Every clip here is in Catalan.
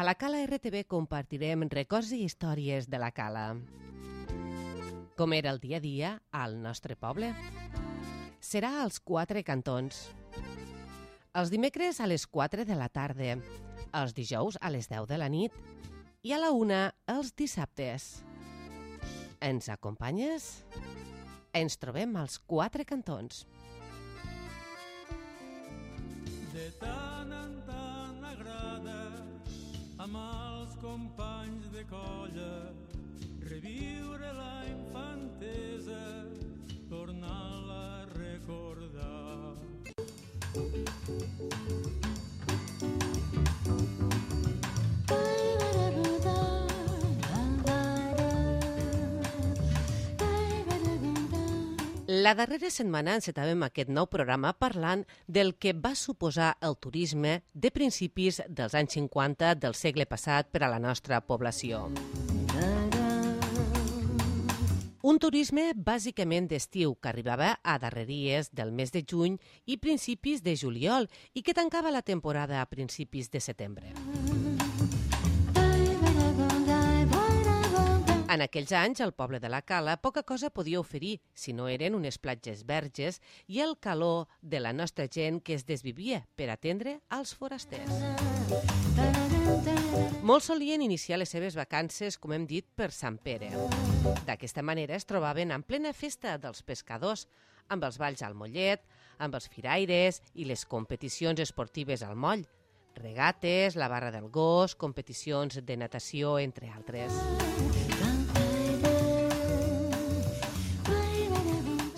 A la Cala RTV compartirem records i històries de la Cala. Com era el dia a dia al nostre poble. Serà als 4 cantons. Els dimecres a les 4 de la tarda, els dijous a les 10 de la nit i a la 1 els dissabtes. Ens acompanyes? Ens trobem als 4 cantons. De tant en tant agrada amb els companys de colla reviure la infantesa, tornar-la a recordar. La darrera setmana encetàvem aquest nou programa parlant del que va suposar el turisme de principis dels anys 50 del segle passat per a la nostra població. Un turisme bàsicament d'estiu que arribava a darreries del mes de juny i principis de juliol i que tancava la temporada a principis de setembre. En aquells anys, el poble de la Cala poca cosa podia oferir si no eren unes platges verges i el calor de la nostra gent que es desvivia per atendre als forasters. Molts solien iniciar les seves vacances, com hem dit, per Sant Pere. D'aquesta manera es trobaven en plena festa dels pescadors, amb els balls al mollet, amb els firaires i les competicions esportives al moll, regates, la barra del gos, competicions de natació, entre altres.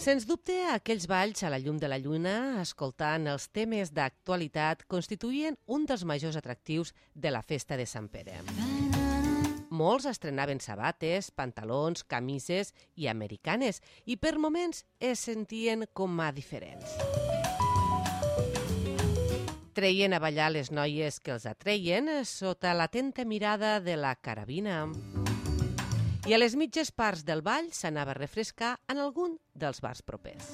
Sens dubte, aquells balls a la llum de la lluna, escoltant els temes d'actualitat, constituïen un dels majors atractius de la festa de Sant Pere. Molts estrenaven sabates, pantalons, camises i americanes i per moments es sentien com a diferents. Treien a ballar les noies que els atreien sota l'atenta mirada de la carabina. I a les mitges parts del ball s'anava a refrescar en algun dels bars propers.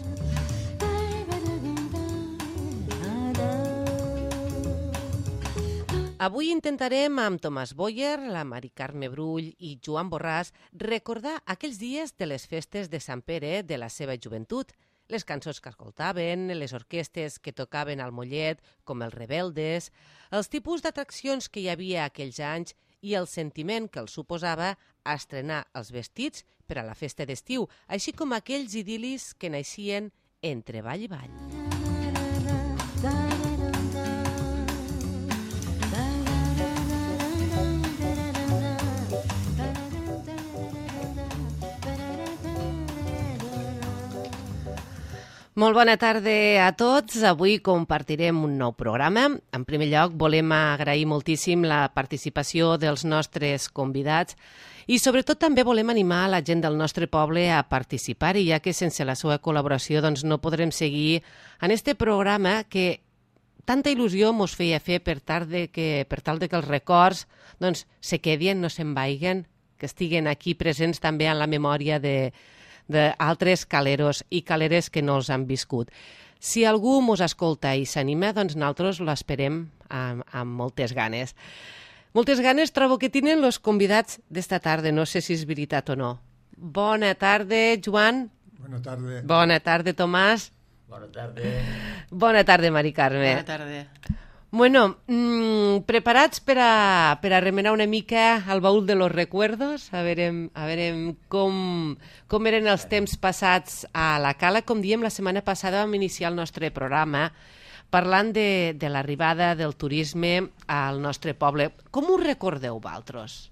Avui intentarem amb Tomàs Boyer, la Mari Carme Brull i Joan Borràs recordar aquells dies de les festes de Sant Pere de la seva joventut, les cançons que escoltaven, les orquestes que tocaven al mollet, com els Rebeldes, els tipus d'atraccions que hi havia aquells anys i el sentiment que els suposava estrenar els vestits per a la festa d'estiu, així com aquells idil·lis que naixien entre ball i ball. Molt bona tarda a tots. Avui compartirem un nou programa. En primer lloc, volem agrair moltíssim la participació dels nostres convidats i sobretot també volem animar la gent del nostre poble a participar-hi, ja que sense la seva col·laboració no podrem seguir en este programa que tanta il·lusió mos feia fer per tal de que els records se quedin, no se'n vagin, que estiguen aquí presents també en la memòria d'altres caleros i caleres que no els han viscut. Si algú mos escolta i s'anima, doncs nosaltres l'esperem amb moltes ganes. Moltes ganes trobo que tenen els convidats d'esta tarda, no sé si és veritat o no. Bona tarda, Joan. Bona tarda. Bona tarda, Tomàs. Bona tarda. Bona tarda, Mari Carme. Bona tarda. Bueno, preparats per a remenar una mica el baúl de los recuerdos, a veure com eren els temps passats a la Cala. Com diem, la setmana passada vam iniciar el nostre programa parlant de l'arribada del turisme al nostre poble. Com ho recordeu, vosaltres?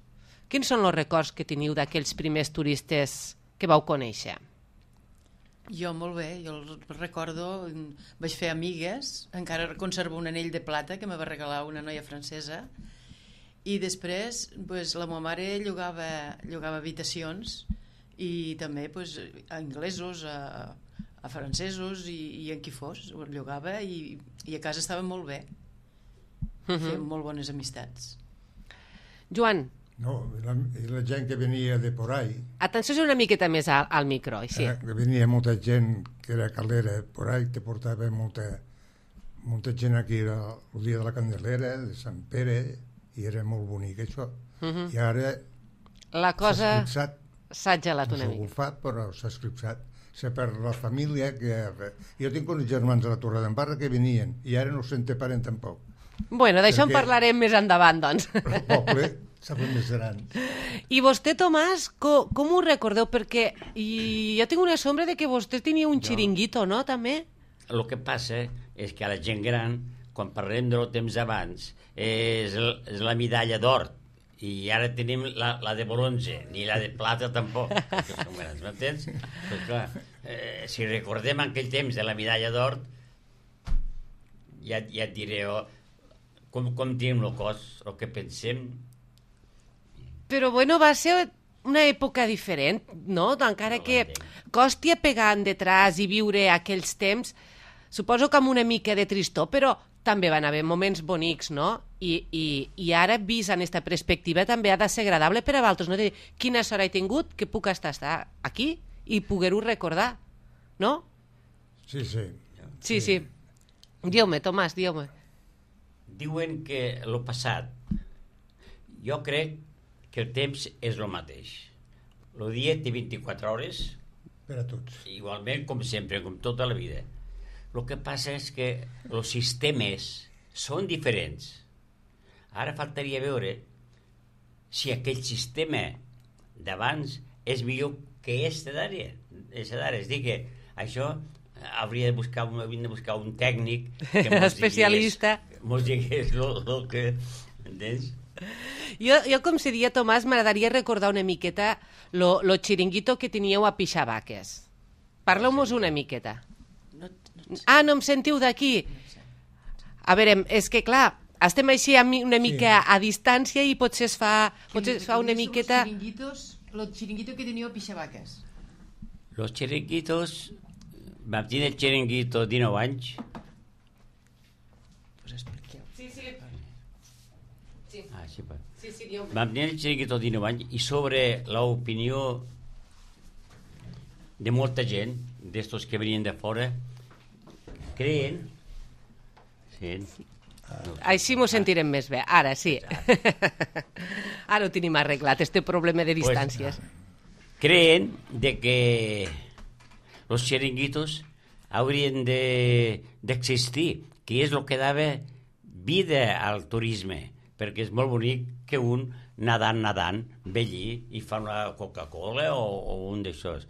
Quins són els records que teniu d'aquells primers turistes que vau conèixer? Jo molt bé, jo el recordo, vaig fer amigues, encara conservo un anell de plata que me va regalar una noia francesa i després la meva mare llogava habitacions i també a anglesos, a francesos i en qui fos, ho llogava i a casa estava molt bé, fèiem molt bones amistats. Joan? No, la gent que venia de por ahí. Atenció una miqueta més al micro, així. Venia molta gent que era calera por ahí, que portava molta gent aquí el dia de la Candelera, de Sant Pere i era molt bonic això. I ara La cosa s'ha esclipsat, s'ha gelat no una s'ha mica. golfat, però s'ha esclipsat. Se perd la família, jo tinc uns germans a la Torredembarra que venien, i ara no se'n té parent tampoc. Bueno, d'això en Perquè- parlarem més endavant, doncs. El poble s'ha fet més gran. I vostè, Tomàs, com ho recordeu? Perquè jo tinc una sombra de que vostè tenia un xiringuito, no, també? El que passa és que a la gent gran, quan parlem del temps abans, és la medalla d'or, i ara tenim la de bronze, ni la de plata tampoc. Que són grans, m'entens? Pues clar, si recordem aquell temps de la medalla d'or, ja et diré com tenim el cos, el que pensem. Però, bueno, va ser una època diferent, no? Encara No que l'entenc. costi a pegar detrás i viure aquells temps, suposo que amb una mica de tristor, però també van haver moments bonics, no? I ara, vist en aquesta perspectiva, també ha de ser agradable per a vosaltres, no? De dir, quina sort he tingut que puc estar aquí i poder-ho recordar, no? Sí, sí. Sí. Diu-me, Tomàs, diu-me. Diuen que el passat, jo crec que el temps és el mateix. El dia té 24 hores, Per a tots. igualment com sempre, com tota la vida. El que passa és que els sistemes són diferents. Ara faltaria veure si aquell sistema d'abans és millor que este d'ara. És a dir, que això hauria de buscar un tècnic que Especialista. mos digués el que... Entens? Jo, com se dia, Tomàs, m'agradaria recordar una miqueta lo xiringuito que teníeu a Pixabaques. Parleu-mos una miqueta. Ah, no em sentiu d'aquí? A veure, és que clar, estem així una mica a distància i potser es fa una miqueta... Los chiringuitos que teníeu a Pixabaques. Los chiringuitos, vam tenir el chiringuito 19 anys. Pues expliqueu. Sí. Ah, sí, Sí, diu-me. vam tenir el chiringuito 19 anys i sobre l'opinió de molta gent, d'estos que venien de fora, creen... Sí. Així m'ho sentirem més bé. Ara sí. Ara ho tenim arreglat, este problema de distàncies. Creen de que los chiringuitos haurien d'existir, que és el que dava vida al turisme, perquè és molt bonic que un nadant, ve allí i fa una Coca-Cola o un d'aixòs.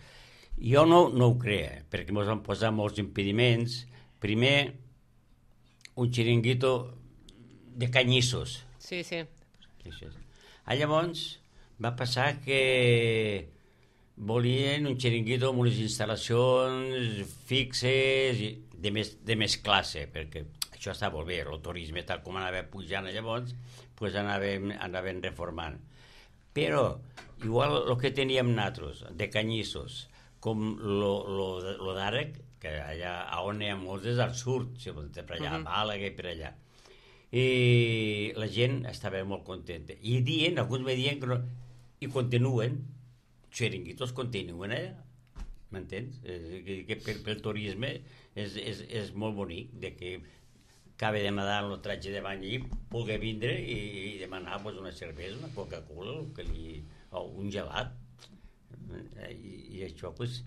Jo no ho crec, perquè ens van posar molts impediments. Primer, un chiringuito de canyissos. Sí. Llavors va passar que volien un chiringuito amb unes instal·lacions fixes i de més classe, perquè això està molt bé, el turisme tal com anava pujant llavors, pues anàvem reformant. Però, igual el que teníem nosaltres, de canyissos, com lo d'ara, que allà on hi ha molts és al sud, per allà, a Màlaga i per allà. I la gent estava molt contenta. I alguns me diuen que no, i continuen, chiringuitos continuen allà, m'entens? Que pel turisme és molt bonic, de que acaba de nadar en el tratge de bany i pugui vindre i demanar pues, una cervesa, una Coca-Cola, o un gelat. I això, pues...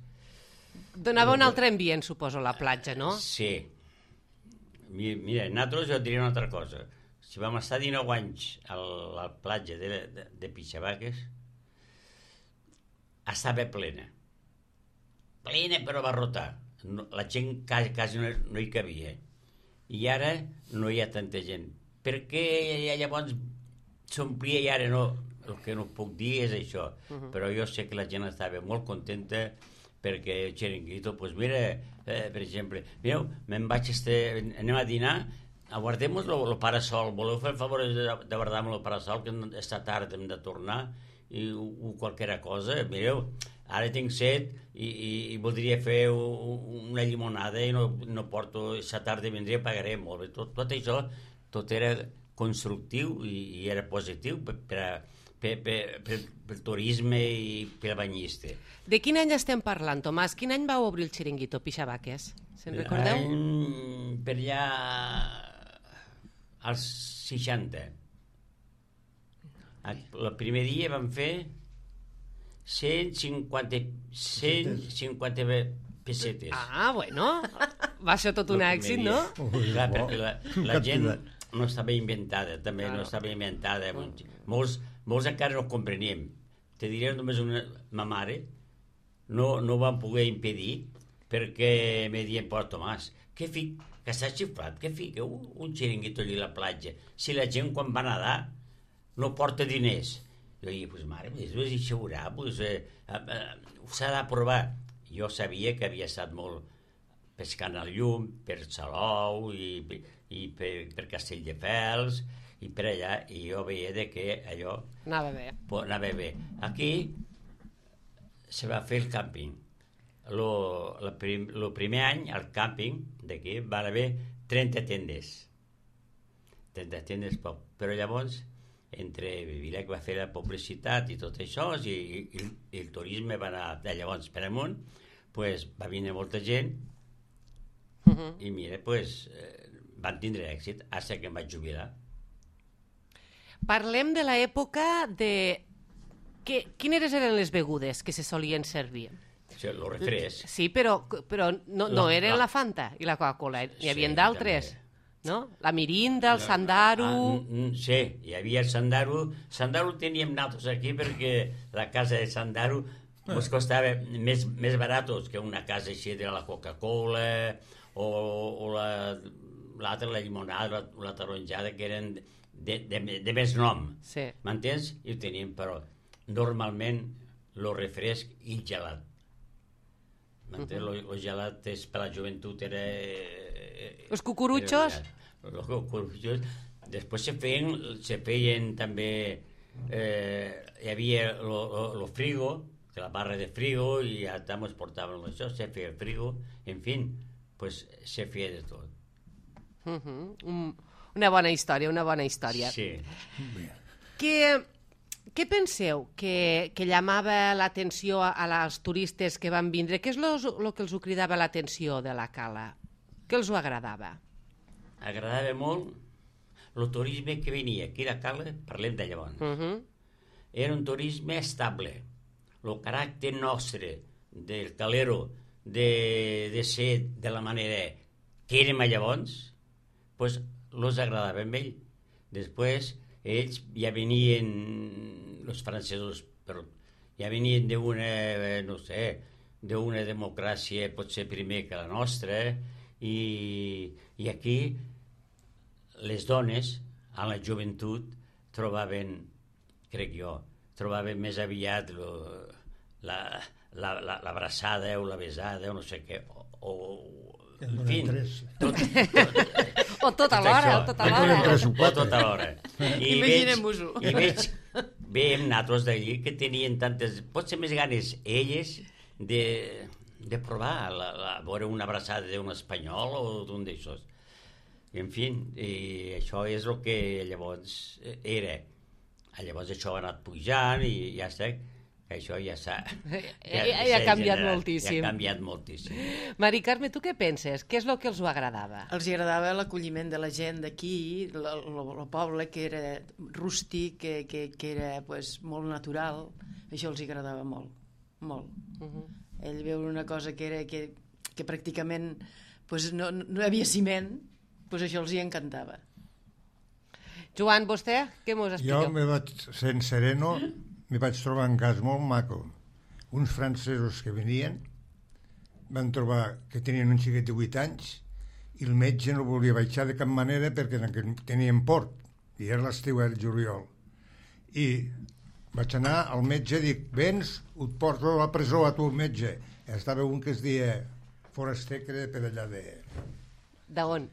Donava un altre ambient, suposo, a la platja, no? Sí. Mira, nosaltres jo et diré una altra cosa. Si vam estar 19 anys a la platja de Pixabaques, estava plena. Plena però abarrotar. La gent quasi no hi cabia. I ara no hi ha tanta gent. Per què llavors s'omplia i ara no? El que no puc dir és això. Però jo sé que la gent estava molt contenta perquè el chiringuito, doncs mira, per exemple, mireu, anem a dinar, aguardem-nos el parasol, voleu fer el favor de guardar-me el parasol, que està tard, hem de tornar, o qualsevol cosa, mireu, ara tinc set i voldria fer una llimonada i no porto, aquesta tarda vindria i pagaré molt bé. Tot això, tot era constructiu i era positiu pel turisme i pel banyista. De quin any estem parlant, Tomàs? Quin any vau obrir el xiringuito Pixabaques? Se'n recordeu? Per allà als 60. El primer dia vam fer 150 pessetes. Ah, bueno, va ser tot un El èxit, primer no? dia. Ui, Clar, bo. perquè la gent no estava inventada, també no estava inventada. Molts encara no compreníem. Te diré només ma mare no van poder impedir perquè me dient, però Tomàs, que s'ha xifrat, que fica un xiringuito allà a la platja, si la gent quan va nedar no porta diners. Jo dic, pues mare, això veurà, s'ha de provar. Jo sabia que havia estat molt pescant al llum, per Salou i per Castelldefels i per allà, i jo veia que allò Anava bé. anava bé. Aquí se va fer el càmping. El primer any, al càmping d'aquí, van haver 30 tendes. 30 tendes poc. Però llavors, entre Vilac va fer la publicitat i tot això, i el turisme va anar de llavors per amunt, pues, va venir molta gent i mira, pues, van tindre èxit fins que em vaig jubilar. Parlem de l'època de... Quines eren les begudes que se solien servir? El refresc. Sí, però no eren la Fanta i la Coca-Cola, n'hi havia Sí, d'altres, no? La Mirinda, el Sandaru... Sí, hi havia el Sandaru. Sandaru teníem nosaltres aquí perquè la casa de Sandaru ens costava més baratos que una casa així de la Coca-Cola o l'altra, la llimonada, la taronjada, que eren de més nom. Sí. M'entens? I ho teníem, però normalment el refresc i el gelat. M'entens? El gelat és per la joventut, era... Els cucurutxos? Els cucurutxos. Després se feien també... hi havia el frigo, la barra de frigo, i ja també es portaven això, se feia el frigo, en fi, pues se feia de tot. Una bona història, una bona història. Sí. Què penseu que llamava l'atenció als turistes que van vindre? Què és el que els ho cridava l'atenció de la cala? Què els ho agradava? Agradava molt el turisme que venia aquí a la cala, parlem de llavors. Era un turisme estable. El caràcter nostre del calero de ser de la manera que érem llavors, pues els agradava a ell. Després ells ja venien, els francesos, però ja venien d'una, no sé, d'una democràcia potser primer que la nostra, i aquí les dones, a la joventut, trobaven, crec jo, trobaven més aviat l'abraçada o la besada o no sé què, o en fi, o tot alhora, o tot alhora. O tot alhora. Imaginem-vos-ho. I veiem nosaltres d'allí que tenien tantes, potser més ganes elles de provar, veure una abraçada d'un espanyol o d'un d'aixòs. En fi, i això és el que llavors era. Llavors això ha anat pujant i ja està, això ja s'ha... Ja ha canviat moltíssim. Ja ha canviat moltíssim. Mari Carme, tu què penses? Què és el que els ho agradava? Els agradava l'acolliment de la gent d'aquí, el poble, que era rústic, que era pues, molt natural. Això els agradava molt, molt. Ell veure una cosa que pràcticament pues, no hi havia ciment, pues això els hi encantava. Joan, vostè, què mos expliqueu? Jo me vaig, sent sereno, me vaig trobar un cas molt maco. Uns francesos que venien van trobar que tenien un xiquet de 8 anys i el metge no volia baixar de cap manera perquè tenien port, i era l'estiu, el juliol. I vaig anar al metge i dic, vens, et porto a la presó a tu, metge. Estava un que es deia Foraster, que era per allà de... D'on?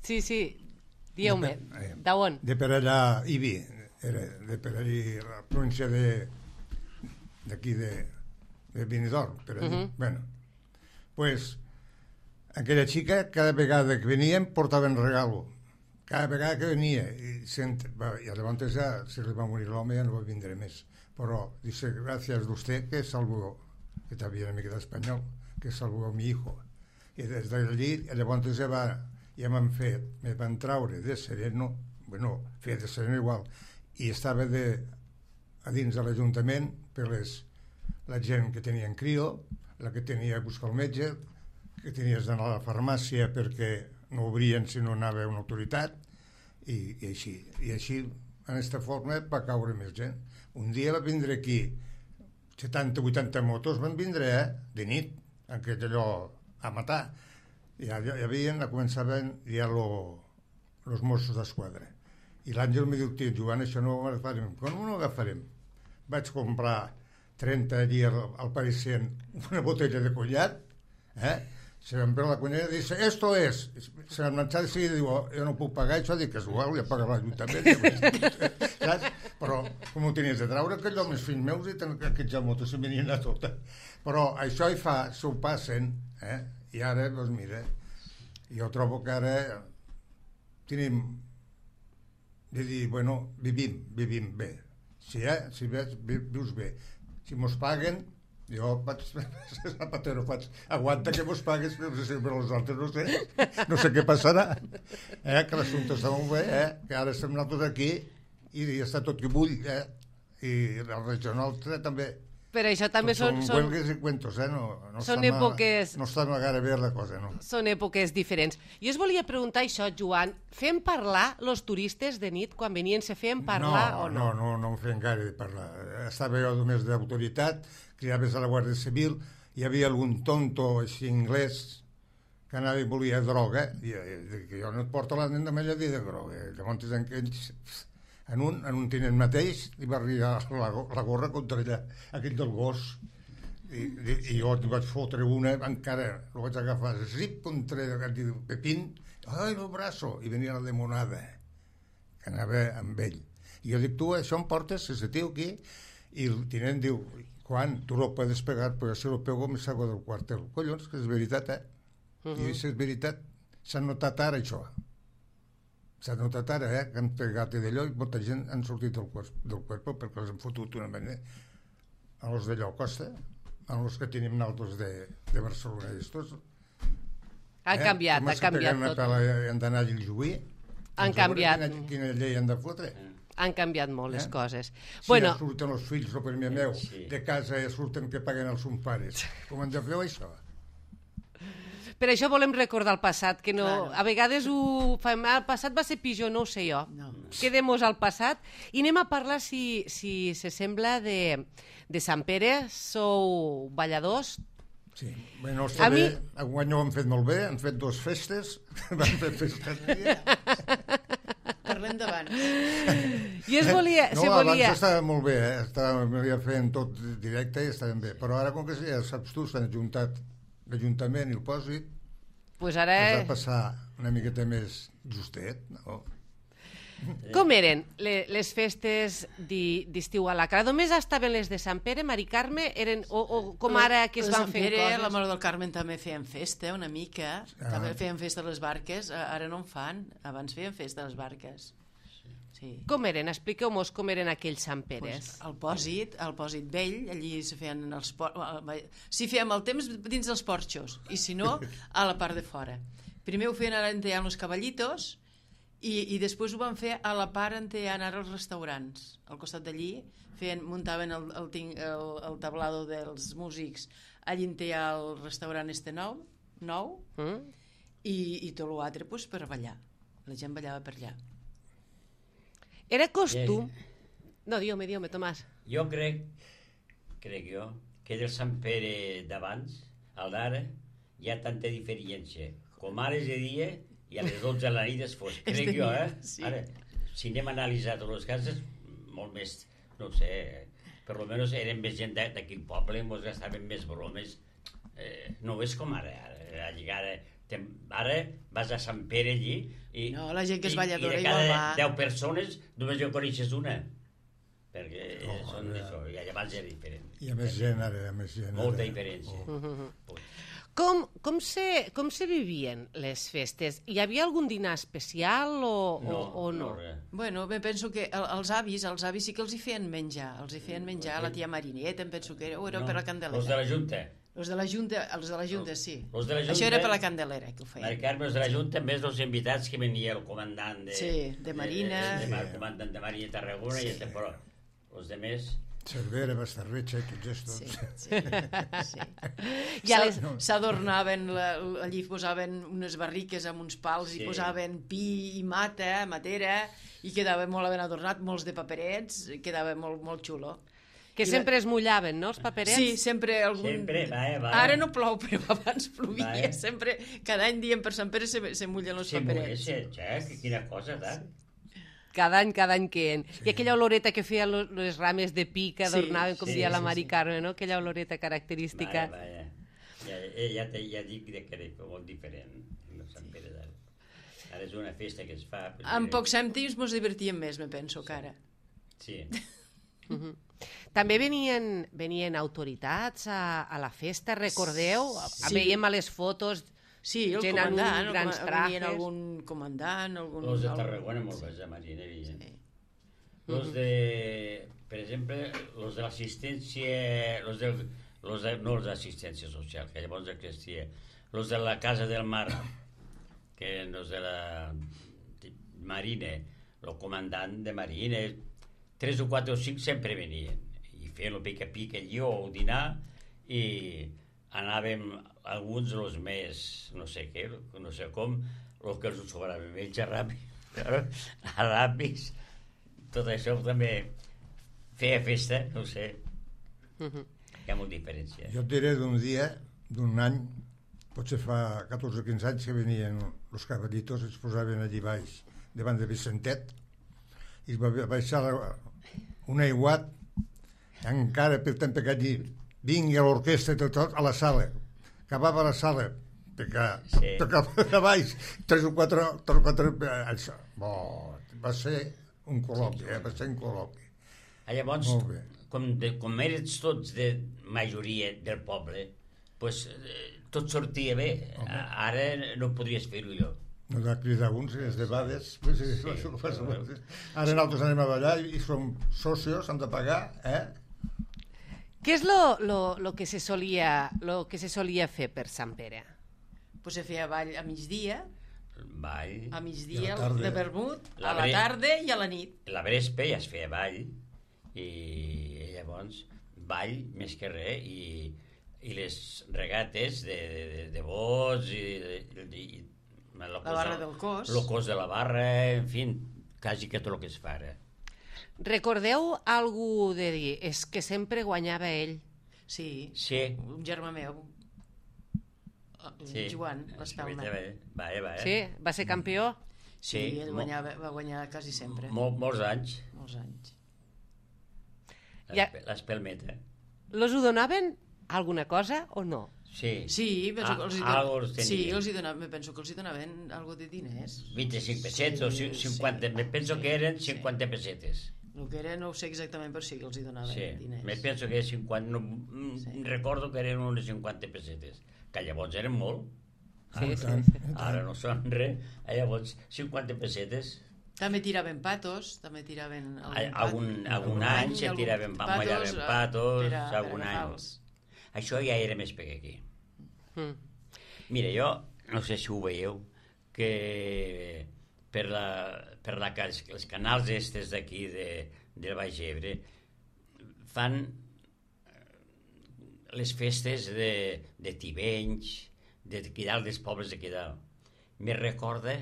Sí, dieu-me, d'on? De per allà, Ibi, era de per allà, la província d'aquí de Benidorm, per allà. Bueno, pues, aquella xica, cada vegada que venien, portaven regalo. Cada vegada que venia. I llavors ja se li va morir l'home, ja no va vindre més. Però, dice, gràcies d'usted, que salvó, que també una mica d'espanyol, que salvó a mi hijo. I des d'allí, llavors ja m'han fet, me van traure de sereno, bueno, fer de sereno igual, i estava a dins de l'Ajuntament per la gent que tenien crio, la que tenia que buscar el metge, que tenies d'anar a la farmàcia perquè no obrien si no anava una autoritat, i així. I així, en aquesta forma, va caure més gent. Un dia va vindre aquí 70-80 motos, van vindre de nit, en aquest allò a matar. Ja començaven ja els Mossos d'Esquadra. I l'Àngel em diu, tio, Joan, això no ho agafarem. Com no ho agafarem? Vaig comprar 30 allí al Parisien una botella de conyac, se van veure la conyac i dice, esto es. Se van marxar de seguida i diu, jo no puc pagar això, dic, és igual, ja paga l'Ajuntament. Saps? Però com ho tenies de traure, aquell home, els fills meus, i aquests ja motos se venien a tota. Però això hi fa, s'ho passen, i ara, doncs mira, jo trobo que ara tenim de dir, bueno, vivim bé. Si vius bé. Si mos paguen, jo vaig zapatero, aguanta que mos pagues, però els altres no sé què passarà. Que l'assumpte està molt bé, que ara estem nosaltres aquí i està tot que bull, i la regió nostra també. Però això també són huelgues i cuentos, són èpoques... No està gaire bé la cosa, no? Són èpoques diferents. Jo us volia preguntar això, Joan, fem parlar els turistes de nit quan venien, se feien parlar o no? No em feien gaire de parlar. Estava jo només d'autoritat, cridaves a la Guàrdia Civil, hi havia algun tonto així anglès que anava i volia droga, i jo no et porto la nena a dir de droga. Llavors en un tinent mateix li va arribar la gorra contra aquell del gos, i jo li vaig fotre una, encara el vaig agafar, zip, contra el Pepín, ai, el braço, i venia la demonada, que anava amb ell. I jo dic, tu això em portes, ese tio aquí? I el tinent diu, quan? Tu lo puedes pegar, però si lo pego me salgo del cuartel. Collons, que és veritat, I és veritat, s'ha notat ara això. S'ha notat ara, que han pegat d'allò i molta gent han sortit del cuerpo perquè els han fotut una manera a los d'allò Costa, a los que tenim nosaltres de Barcelona. Ha canviat tot. Han d'anar a Lluís. Han canviat. Quina llei han de fotre? Han canviat molt les coses. Si ja surten els fills, el primer meu, de casa ja surten que paguen els seus pares. Com han de fer això? Per això volem recordar el passat, que no... Claro. A vegades el passat va ser pitjor, no ho sé jo. No. Quedem-nos al passat i anem a parlar, si se sembla, de Sant Pere. Sou balladors? Sí, bueno, està bé. Enguany ho han fet molt bé, han fet 2 festes. Van fer festes. Parlem d'abans. I abans estava molt bé, estava fent tot directe i estaven bé. Però ara, com que ja saps tu, s'han ajuntat l'Ajuntament i el Pòsit, pues ara... has de passar una miqueta més justet, no? Com eren les festes d'estiu a la Cala? Només estaven les de Sant Pere, Mari Carme, o com ara que es van fent coses? La Mare del Carmen també feien festa una mica, també feien festa a les barques, ara no en fan, abans feien festa a les barques. Sí. Com eren? Expliqueu-nos com eren aquells Sant Peres. Pues el pòsit vell, allí s'hi feien s'hi fèiem el temps dins dels porxos, i si no, a la part de fora. Primer ho feien ara on hi ha els cavallitos, i després ho van fer a la part on hi ha ara els restaurants. Al costat d'allí muntaven el tablado dels músics, allí on hi ha el restaurant nou, i tot l'altre per ballar. La gent ballava per allà. Era costum... No, digue-me, Tomàs. Jo crec que del Sant Pere d'abans al d'ara hi ha tanta diferència. Com ara és de dia i a les 12 de la nit és fosc. Crec jo, Ara, si anem a analitzar totes les cases, molt més, no sé, per almenys eren més gent d'aquí al poble, ens gastaven més bromes. No és com ara. Ara vas a Sant Pere allí i la gent que és balladora i de cada 10 persones només jo coneixes una, perquè són això, i abans era diferent. Hi ha més gent ara, molta diferència. Com se vivien les festes? Hi havia algun dinar especial o no? Bueno, penso que els avis sí que els hi feien menjar. Els hi feien menjar a la tia Marineta, em penso que era, o era per la Candelera. Els de la Junta. Els de la Junta, sí. Els de la Junta... Això era per la Candelera, que ho feien. Mari Carme, els de la Junta, més dels invitats que venia el comandant de... Sí, de Marina. El comandant de Marina i Tarragona, sí. Però els de més... Cervera, Bastarretxa i tots estos. Sí. S'adornaven, allí posaven unes barriques amb uns pals i posaven pi i matera, i quedava molt ben adornat, molts de paperets, quedava molt, molt xulo. Que sempre es mullaven, no, els paperets? Sí, sempre algun... Sempre, va. Ara no plou, però abans plovia. Sempre, cada any diem per Sant Pere se mullen els paperets. Sí, quina cosa, tant. Cada any queden. I aquella oloreta que feia les rames de pi que adornaven, com dia la Mari Carme, no? Aquella oloreta característica. Vaja. Ja dic que era molt diferent, el Sant Pere d'ara. Ara és una festa que es fa... En pocs cèntims ens divertíem més, me penso, que ara. Sí. També venien autoritats a la festa, recordeu? Sí. Veiem a les fotos... Sí, el gent comandant, grans trajes. venien algun comandant... Els de Tarragona molt bé, de Marina, evident. Els de... Per exemple, els de l'assistència... No els d'assistència social, que llavors existia. Els de la Casa del Mar, que els de la Marina, el comandant de Marina, 3 o 4 o 5 sempre venien. I feien el pica-pica allí o el dinar i anàvem... alguns dels més, no sé què, no sé com, els que els sobraven menys ràpids, tot això també feia festa, no sé. Hi ha molta diferència. Jo et diré d'un dia, d'un any, potser fa 14 o 15 anys que venien els caballitos, es posaven allí baix, davant de Vicentet, i es va baixar un aiguat, encara per tant que allí vingui l'orquestra i tot a la sala. Acabava la sala, perquè baix, 3 o 4 això. Va ser un col·loqui, va ser un col·loqui. Llavors, com eres tots de majoria del poble, pues, tot sortia bé. Ara no podries fer-ho jo. No de cridar uns, és de bades. Ara nosaltres anem a ballar i som socios, hem de pagar, Què és lo que se solia fer per Sant Pere? Pues se feia ball a migdia, Ball. a migdia de vermut, a la tarda i a la nit. La Vrespe ja es feia ball i llavors ball més que res i les regates de bots i la barra del cos. El cos de la barra, en fi, quasi que tot el que es fa ara. Recordeu algú de dir, és que sempre guanyava ell? Sí, un germà meu, Joan, l'Espelma. Va. Sí? Va ser campió? Sí, ell va guanyar quasi sempre. Molts anys. Molts anys. L'Espelmeta. Los ho donaven alguna cosa o no? Sí, penso que els hi donaven, me penso que els hi donaven algo de diners. 25 pessetes o 50, me penso que eren 50 pessetes. El que era no ho sé exactament, però sí que els hi donaven diners. Me penso que era 50, recordo que eren unes 50 pessetes, que llavors eren molt. Ara no són res, llavors 50 pessetes. També tiraven patos, també tiraven... Algun any se tiraven patos, algun any. Això ja era més per aquí. Mira, jo, no sé si ho veieu, que els canals estes d'aquí del Baix Ebre fan les festes de Tivenys, d'aquí dalt, dels pobles d'aquí dalt. Me recorda,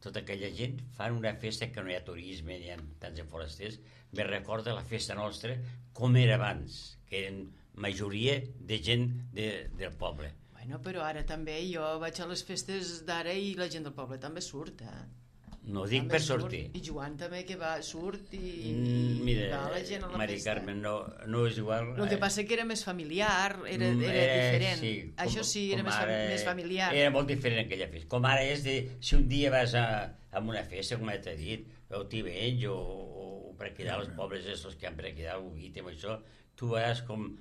tota aquella gent, fan una festa que no hi ha turisme, ni ha tants forasters, me recorda la festa nostra com era abans, que eren majoria de gent del poble. Bueno, però ara també jo vaig a les festes d'ara i la gent del poble també surt, No dic per sortir. I Joan també que surt i mira, va la gent a la Mari festa. Carme, no és igual. El que passa que era més familiar, era diferent. Sí, això sí, era més familiar. Era molt diferent aquella festa. Com ara és si un dia vas a una festa, com t'he dit, o Tivenys o per aquí dalt, els pobles estos que han per aquí dalt, o Guitem, això, tu veuràs com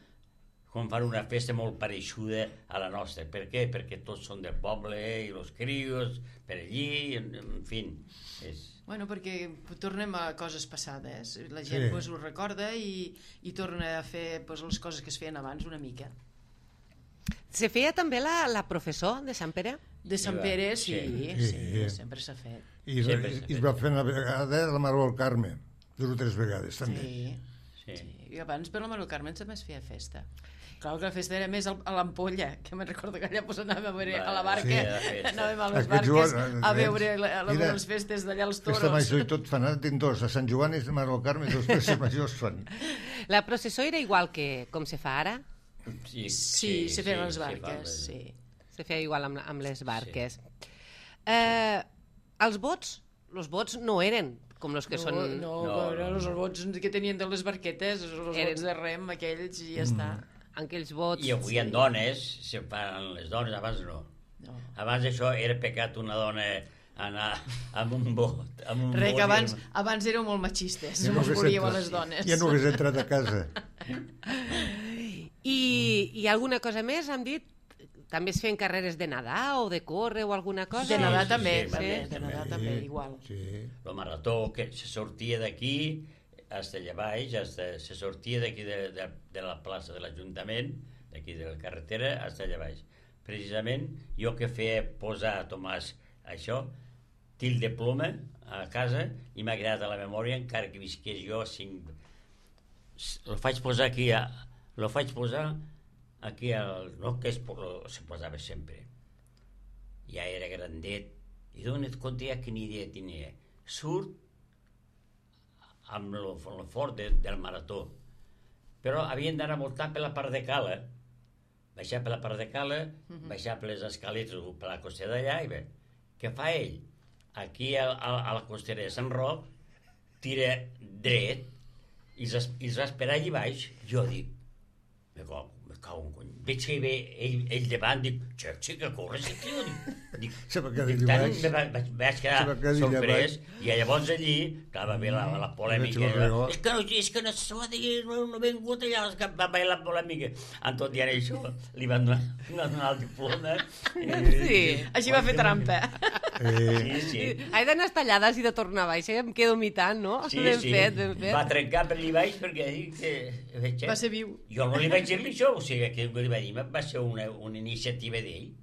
fan una festa molt pareixuda a la nostra. Per què? Perquè tots són del poble i els crios per allí, en fi. Bueno, perquè tornem a coses passades. La gent pues, ho recorda i torna a fer pues, les coses que es feien abans una mica. Se feia també la professor de Sant Pere? De Sant Pere, sí, Sí. sempre s'ha fet. I es va fer una vegada la Mare del Carme, 2 o 3 vegades, també. Sí. I abans per la Mare del Carme també es feia festa. Clar que la festa era més a l'Ampolla, que me'n recordo que allà anàvem a veure a la barca, anàvem a les barques a veure les festes d'allà als toros. Festa major i tot fan, ara tinc 2, a Sant Joan i a Mare del Carme, 2 festes majors fan. La processó era igual que com se fa ara? Sí, se feien les barques, sí. Se feia igual amb les barques. Els vots no eren com els que són... No, els vots que tenien de les barquetes, els vots de rem, aquells, i ja està. Aquells vots... I avui en dones, se fan les dones, abans no. Abans això era pecat una dona anar amb un vot. Res, que abans éreu molt machistes, no us volíeu a les dones. Ja no hagués entrat a casa. I alguna cosa més, hem dit? També es feien carreres de nedar o de córrer o alguna cosa? De nedar també, de nedar també, igual. El marató que se sortia d'aquí fins allà baix, se sortia d'aquí de la plaça de l'Ajuntament, d'aquí de la carretera, fins allà baix. Precisament, jo que feia posar a Tomàs això, til de ploma a casa, i m'ha quedat a la memòria, encara que visqués jo 5... Lo faig posar aquí, no que se posava sempre. Ja era grandet, i d'on et conté que ni idea tenia. Surt amb el fort del marató, però havien d'anar voltant per la part de cala, baixar per la part de cala, baixar per les escaletes per la costera d'allà, i bé, què fa ell? Aquí a la costera de Sant Roc, tira dret, i els va esperar allà baix. Jo dic, me cago en cony. Veig que ve ell davant, dic, sí que corre, sí, tio. Dic, vaig quedar sorprès, i llavors allí, clar, va haver la polèmica. És que no s'ho ha de dir, no ben vingut allà, va haver la polèmica. En tot dient això, li van donar el diploma. Sí, així va fer trampa. Sí. He d'anar tallada i de tornar a baix, em quedo mitant, no? Ben fet. Va trencar per allà baix perquè dic que... Va ser viu. Jo no li vaig dir-li això, o sigui, que li vaig dir, va ser una iniciativa d'ell.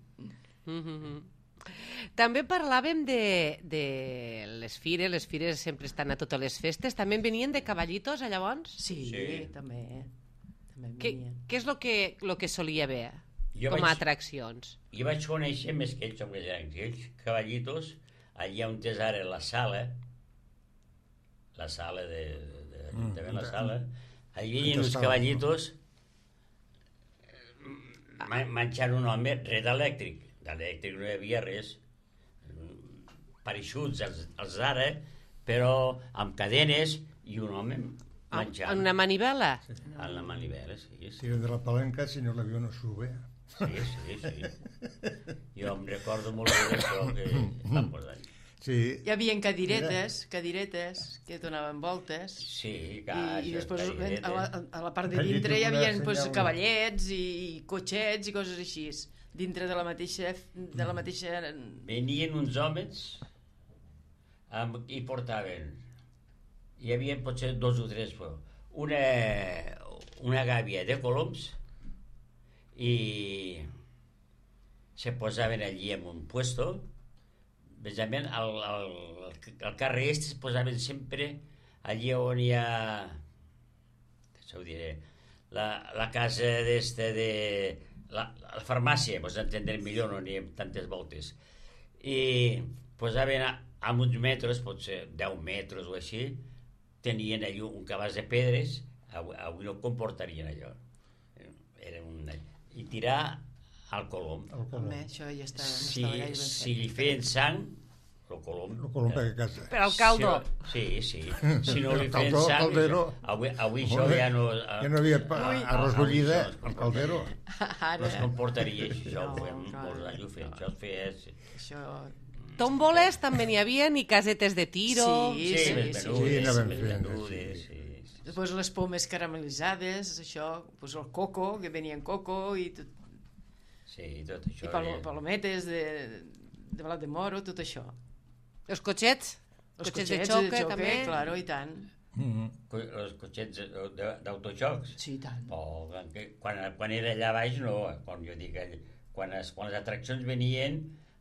També parlàvem de les fires sempre estan a totes les festes, també venien de cavallitos a llavors? Sí, també venien. Què és el que solia haver com a atraccions? Jo vaig conèixer més que ells, aquells cavallitos, allà on és ara la sala de la sala, allà hi havia uns cavallitos menjant un home res d'elèctric no hi havia res, pareixuts els d'ara, però amb cadenes i un home menjant. En una manivela? En la manivela, sí. Tiren de la palanca, si no l'avió no sube. Sí. Jo em recordo molt bé d'això que van posar. Sí. Hi havia cadiretes que donaven voltes. Sí, clar. I després a la part de dintre hi havia cavallets i cotxets i coses així. Dintre de la mateixa... Venien uns homes i portaven... Hi havia potser 2 o 3, una gàbia de coloms i se posaven allí en un puesto. Precisament al carrer es posaven sempre allí on hi ha, això ho diré, la casa de la farmàcia, pues entendrem millor, no n'hi ha tantes voltes, i posaven a uns metres, potser 10 metres o així, tenien allà un cabàs de pedres, avui no comportarien allò, i tirar al colom. Home, això ja estava gaire ben fet. Si li feien sang, el colom per a casa. Per al caldo. Sí. Si no li feien sang, avui això ja no... Ja no havia arròs bullida al caldero. No es comportaria així, això ho fem molts anys, ho fem, això es feia... Això... Tòmboles també n'hi havia, i casetes de tiro... Sí, anaven fent. Després les pomes caramelitzades, això, el coco, que venien coco i tot... Sí, tot això. I palometes de blat de moro, tot això. Els cotxets? Cotxets de xoque, també? Claro, i tant. els cotxets d'autojocs. Sí, tant. Oh, quan era allà baix, no. Quan jo dic, quan les atraccions venien,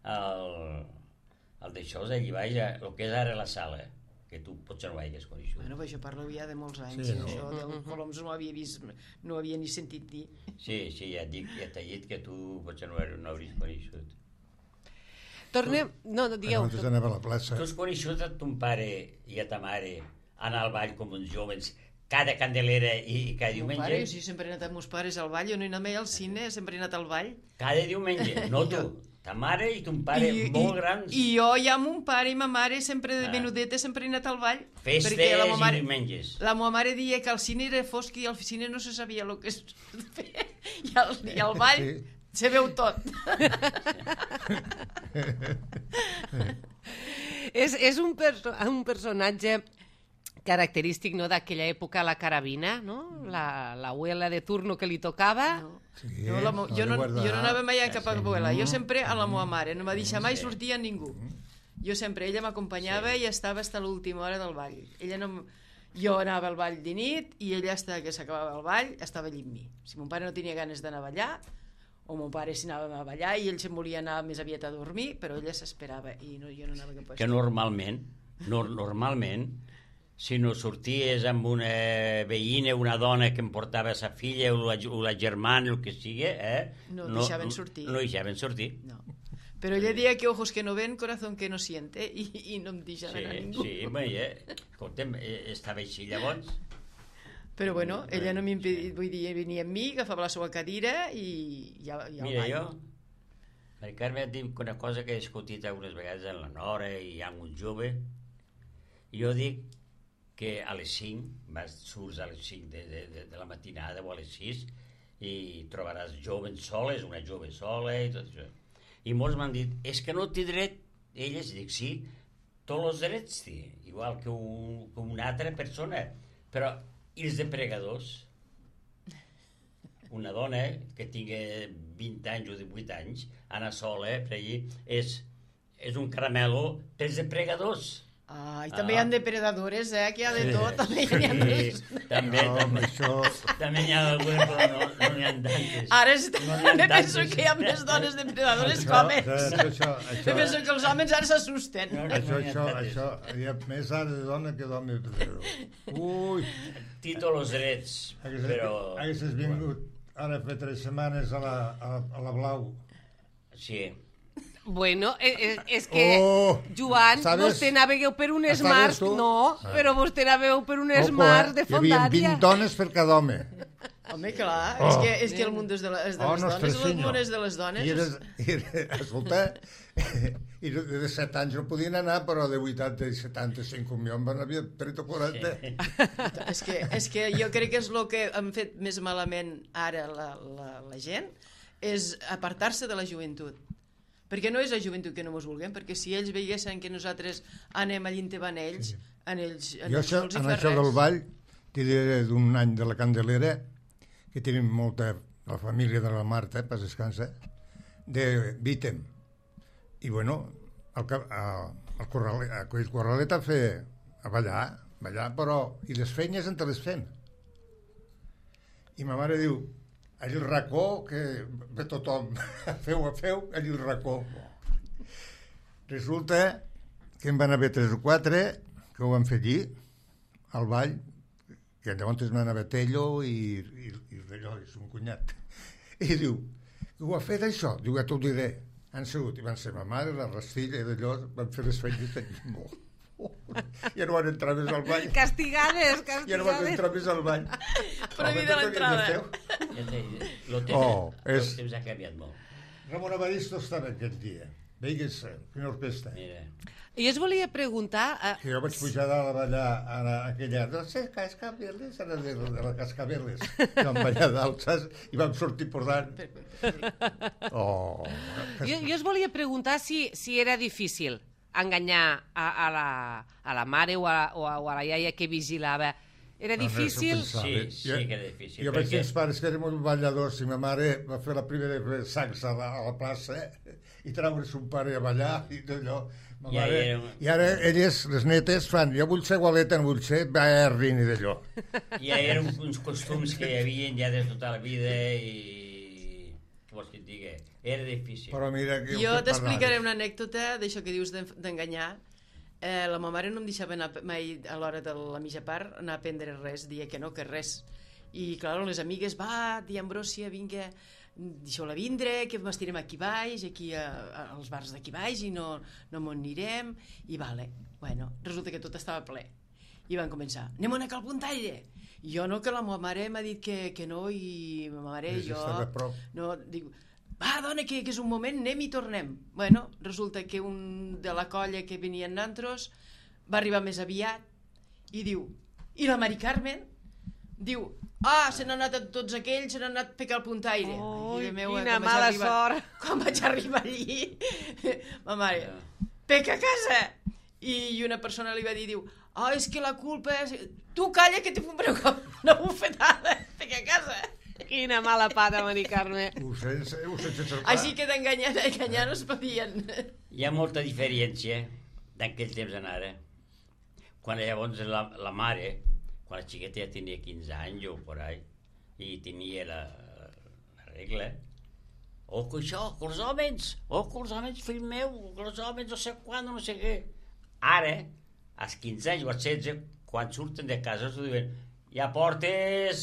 el d'això, allà baix, el que és ara la sala, que tu potser no hagués coneixut. Bueno, però això parlo ja de molts anys. Sí, no? Això dels coloms no ho havia vist, no ho havia ni sentit dir. Sí, ja t'he dit que tu potser no hauries coneixut. Tornem... No, digueu. Nosaltres anava a la plaça. Tu has coneixut a ton pare i a ta mare anar al ball com uns joves cada Candelera i cada Mon diumenge? pare, jo sí, sempre he anat amb meus pares al ball, jo no he anat mai al cine, sempre he anat al ball. Cada diumenge, no tu. Ta mare i ton pare molt grans. I jo ja mon pare i ma mare sempre de menudeta sempre he anat al ball. Festes perquè la i mare, diumenges. la meva mare deia que el cine era fosc i al cine no se sabia el que es feia. I al ball Sí. se veu tot. És un personatge característic, no, d'aquella època, la carabina, no? L'abuela de turno que li tocava. No. Sí, No, jo no anava mai a cap abuela, jo sempre a la meva mare, no m'ha deixat mai sortir a ningú. Jo sempre, ella m'acompanyava i estava fins a l'última hora del ball. Ella no... Jo anava al ball de nit i ella, hasta que s'acabava el ball, estava allí amb mi. Si mon pare no tenia ganes d'anar a ballar, o mon pare s'hi anava a ballar i ell se'n volia anar més aviat a dormir, però ella s'esperava i no, jo no anava cap a Que normalment, si no sorties amb una veïna, una dona que em portava sa filla o la germana, el que sigui, No deixaven sortir. No deixaven sortir. No. Però ella deia que ojos que no ven, corazón que no siente, i no em deixava anar a ningú. Sí, escolta'm, estava així llavors. Però bueno, ella no m'impedia, vull dir, venia amb mi, agafava la seva cadira i ja Mira, jo, Mari Carme et dic una cosa que he discutit algunes vegades amb la Nora i amb un jove. Jo dic que a les 5, surts a les 5 de la matinada o a les 6 i trobaràs joves soles, una jove sola i tot això. I molts m'han dit, és que no té dret. Elles, dic, sí, tots els drets té, igual que una altra persona. Però, i els depregadors? Una dona que tingui 20 anys o 18 anys, anar sola per allí, és un caramelo pels depregadors. I també hi ha depredadores, que hi ha de tot. També hi ha més. També n'hi ha algunes, però no n'hi ha tantes. Ara també penso que hi ha més dones depredadores que homes. Penso que els homes ara s'assusten. Això, hi ha més ara de dona que d'home. Ui! Títol els drets, però... Haguessis vingut ara fa 3 setmanes a la Blau. Sí. Bueno, és que, Joan, vostè anàveu per un Smart, no, però vostè anàveu per un Smart de fondària. Hi havia 20 dones per cada home. Home, clar, és que el món és de les dones, el món és de les dones. Escolta, i de 7 anys no podien anar, però de 80 i 75 com jo en van haver 30 o 40. És que jo crec que és el que han fet més malament ara la gent, és apartar-se de la joventut. Perquè no és la joventut que no mos vulguem, perquè si ells veiessin que nosaltres anem allí on van ells, en ells no els hi fa res. En això del ball, t'hi diré d'un any de la Candelera, que tenim molta, la família de la Marta, pas descansa, de Vítem. I bueno, el Corralet a fer, a ballar, però, i les feines entre les fem. I ma mare diu, allí el racó, que ve tothom, feu, allí el racó. Resulta que en van haver 3 o 4 que ho van fer allí, al ball, que llavors van haver Tello i d'allò, és un cunyat. I diu, ho ha fet això? Diu, ja t'ho diré. Han sigut, i van ser ma mare, la Rastilla i d'allò, van fer les feines allí molt. Ja no van entrar més al ball. Castigades. Ja no van entrar més al ball. Prohibida l'entrada. El temps ha canviat molt. Ramon Evaristo estava aquell dia. Veigues, quina orquestra. Mira. I us volia preguntar... Que jo vaig pujar dalt a ballar a aquella... No sé, Cascabeles, era de la Cascabeles. Vam ballar dalt, saps? I vam sortir posant. Jo us volia preguntar si era difícil enganyar a la mare o a la iaia que vigilava. Era difícil? Sí que era difícil. Jo vaig dir als pares que érem uns balladors i ma mare va fer la primera sacs a la plaça i treure son pare a ballar i tot allò. Ma Ja mare, era- I ara elles, les netes, fan, jo vull ser igualeta, no vull ser Berrin i d'allò. Ja eren uns costums que hi havia ja des de tota la vida i... Què vols que et digui? Era difícil. Però mira que... Jo t'explicaré una anècdota d'això que dius d'enganyar. La meva mare no em deixava anar mai a l'hora de la mitja part anar a prendre res, dia que no, que res. I clar, les amigues, va, tia Ambròsia, vinga, deixeu-la vindre, que m'estirem aquí baix, aquí als bars d'aquí baix i no m'ho anirem, i vale. Bueno, resulta que tot estava ple. I van començar, anem a anar al puntaire. I jo no, que la meva mare m'ha dit que no, i ma mare i jo... Estava a prop. No, dic, va, dona, que és un moment, anem i tornem. Bueno, resulta que un de la colla que venien nantros va arribar més aviat i diu, i la Mari Carmen? Diu, se n'han anat tots aquells, se n'han anat a pecar el puntaire. Ui, Ai, meu, quina quan vaig mala arribar- sort. Quan vaig arribar allí, ma mare, peca a casa. I una persona li va dir, diu, és que la culpa és... Tu calla que t'he fet una bufetada, peca a casa. Quina mala pata, Mari Carme. Ho sé cercar. Així que d'enganyar no es podien. Hi ha molta diferència d'aquell temps en ara. Quan llavors la mare, quan la xiqueta ja tenia 15 anys o por ahí, i tenia la regla, que això, que els homes, fill meu, que els homes no sé quan, no sé què. Ara, als 15 anys o als 16, quan surten de casa, s'ho diuen, ja portes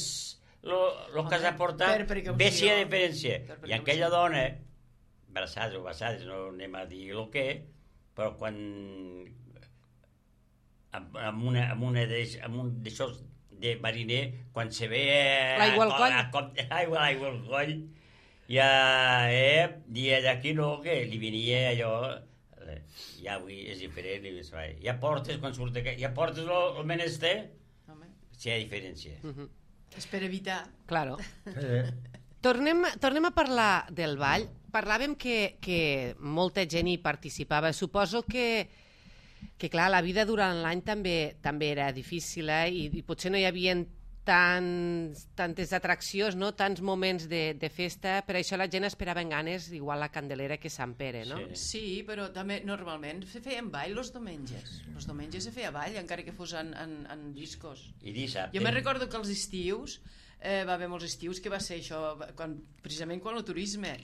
lo que has de portar, per precaució. bé si hi ha diferència. Per I precaució. aquella dona, braçades o bassades, no anem a dir el que, però quan amb un d'aixòs de mariner, quan se ve L'aigua al coll. l'aigua al coll, ja, i d'aquí no, que li venia allò, ja avui és diferent, ja portes, quan surt de casa, ja portes el menester, Home, si hi ha diferència. és per evitar. Claro. Eh, Tornem a parlar del ball. Parlàvem que molta gent hi participava. Suposo que clar, la vida durant l'any també era difícil, i potser no hi havia tantes atraccions, no? Tants moments de festa, per això la gent esperava en ganes igual la Candelera que Sant Pere, no? Sí. Sí, però també normalment se feien ball els diumenges. Els diumenges se feia ball, encara que fos en discos. I dissabte. Jo me recordo que els estius, va haver molts estius que va ser això, precisament quan el turisme,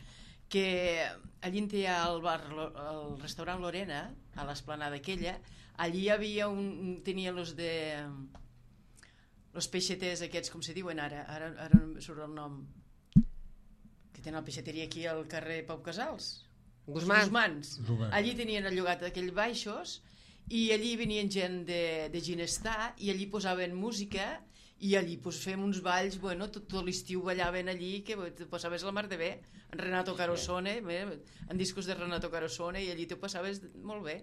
que allí on hi ha el restaurant Lorena, a l'esplanada aquella, allí hi havia tenien els peixeters aquests, com se diuen ara no em surt el nom, que tenen la peixateria aquí al carrer Pau Casals. Guzmán. Guzmans. Guzmán. Allí tenien llogat aquells baixos i allí venien gent de Ginestar i allí posaven música i allí fèiem uns balls, bueno, tot l'estiu ballaven allí, que te passaves la mar de bé, en Renato Carosone, en discos de Renato Carosone, i allí t'ho passaves molt bé.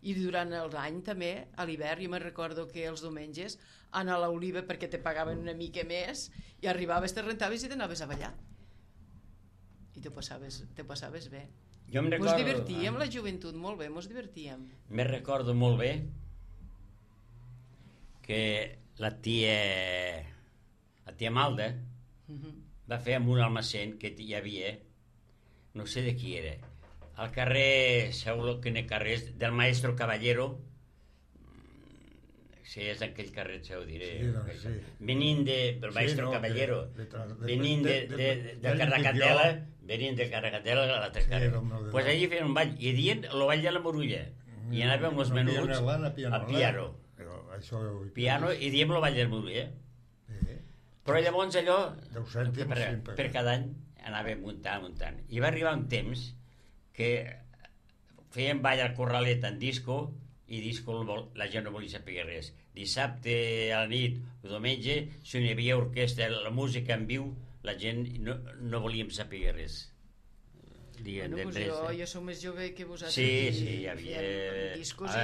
I durant l'any també, a l'hivern, jo me'n recordo que els diumenges anar a l'Oliva perquè te pagaven una mica més i arribaves, te rentaves i t'anaves a ballar. I t'ho passaves bé. Jo em Mos recordo... divertíem, la joventut, molt bé, mos divertíem. Me recordo molt bé que la tia Malda va fer amb un almacén que hi havia, no sé de qui era, al carrer, segur que en el carrer del Maestro Caballero, si és aquell carrer, ho diré, Sí, doncs, sí. venint del Maestro no, Caballero, venint de de Carracatela, venint de Carracatela a l'altre carrer. Pues Allí feien un ball, i dient el ball de la Morulla, i anàvem els menuts a piano. Piano, i diem el ball de la Morulla. Però llavors allò, 10 cèntims, per cada any, anàvem muntant. I va arribar un temps que feien ball al Corralet en disco, i disco la gent no volia saber res. Dissabte a la nit o diumenge, si no hi havia orquestra, la música en viu, la gent no volíem saber res. Jo soc més jove que vosaltres. Sí, hi havia... discos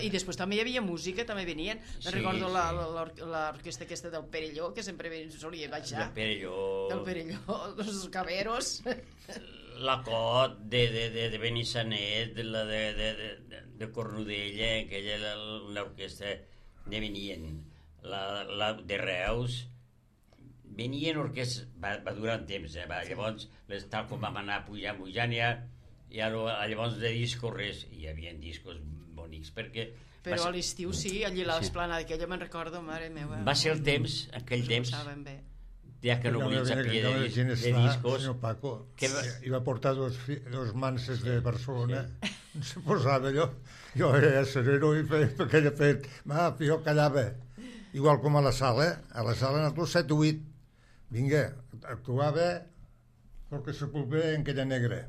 i després també hi havia música, també venien. Recordo l'orquestra aquesta del Perelló, que sempre solia baixar. Del Perelló, dels Caberos. La Cot de Benissanet, la de Cornudella, aquella l'orquestra de venien, la de Reus, venien orquestres, va durar un temps, llavors tal com vam anar pujant ja, I ara, llavors de discos res, hi havia discos bonics, perquè... Però a l'estiu sí, allí a l'esplanada, que jo me'n recordo, mare meva. Va ser el temps, aquell temps, Saben bé. ja que no volia sapia de discos... Senyor Paco, que i va portar dos manses de Barcelona, se posava allò, jo era sereno i feia aquella fet, jo callava, igual com a la sala nosaltres 7 o 8, vinga, actuava Jorge Sepulveda en aquella negra,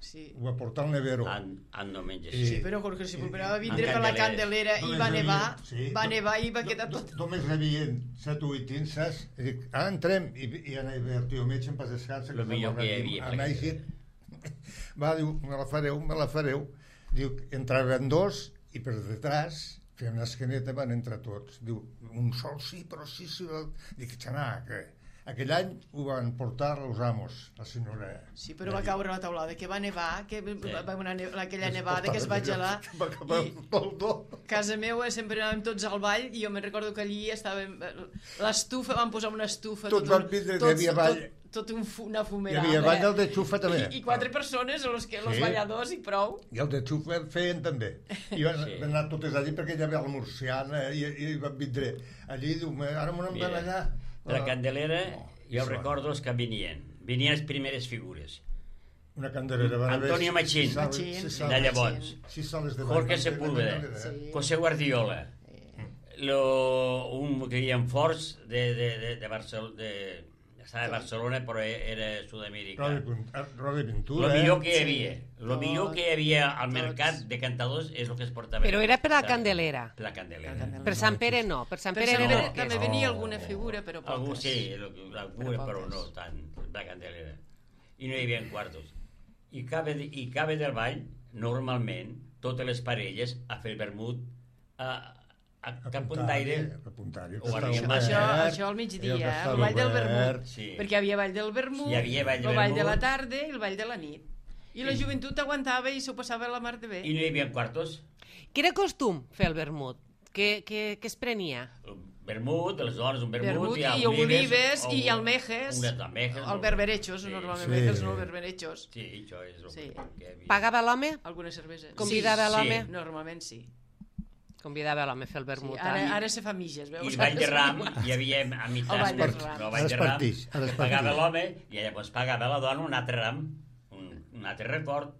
Sí. ho va portar al nevero. Ando menys Sí, però Jorge Sepulveda va vindre en per la Candelera. Candelera i va nevar i va quedar tot... Només rebien 7 o 8 inses, i dic, ara entrem, i anava el tio metge en pas descansa, Lo millor que hi havia, a Mèxic, va, diu, me la fareu, diu, entraven 2 i per detrás feien una esqueneta, van entrar tots, diu, un sol sí, però sí, dic, xanà, que aquell any ho van portar els amos, la senyora. Sí, però va caure la taulada, que va nevar, que va una aquella nevada que es va gelar. Va acabar pel do. Casa meva sempre anàvem tots al ball i jo me'n recordo que allí estàvem... L'estufa, van posar una estufa... Tot van vindre, hi havia ball. Tot una Hi fumerada. havia ball del de xufa també. I 4 persones, els balladors i prou. I el de xufa feien també. I van anar totes allí perquè hi havia la murciana i van vindre allí, diu, ara m'ho van allà. La Candelera, jo recordo els que venien les primeres figures. Una Candelera va haver... Antonio Machín, de llavors. Jorge Sepúlveda, José Guardiola, un que hi havia forts de Barcelona, estava a Barcelona però era sud-americà. Rodi Pintura. Lo millor que hi havia al mercat de cantadors és el que es portava. Però era per la Candelera. Per la Candelera. Per Sant Pere no, per Sant Pere no. era També venia alguna figura, però poques. Algú sí, alguna, però no tant, la Candelera. I no hi havia quartos. I cabe del ball, normalment, totes les parelles a fer el vermut a cap punt d'aire o això al migdia, el ball del vermut, sí. perquè hi havia ball del vermut, el ball de la tarda i el ball de la nit, i la joventut aguantava i s'ho passava la mar de bé. I no hi havia quartos. Què era costum fer el vermut? Què es prenia? Vermut, les dones, un vermut i olives i almejes, el berberechos, normalment els no berberechos. Sí, això és el que havia. Pagava l'home? Algunes cerveses. Convidava l'home? Normalment sí. Convidava l'home a fer el vermut. Ara se fa mitges, veus? I el ball de ram hi havia a meitat. El ball de ram. Que pagava l'home i llavors pagava la dona un altre ram, un altre record.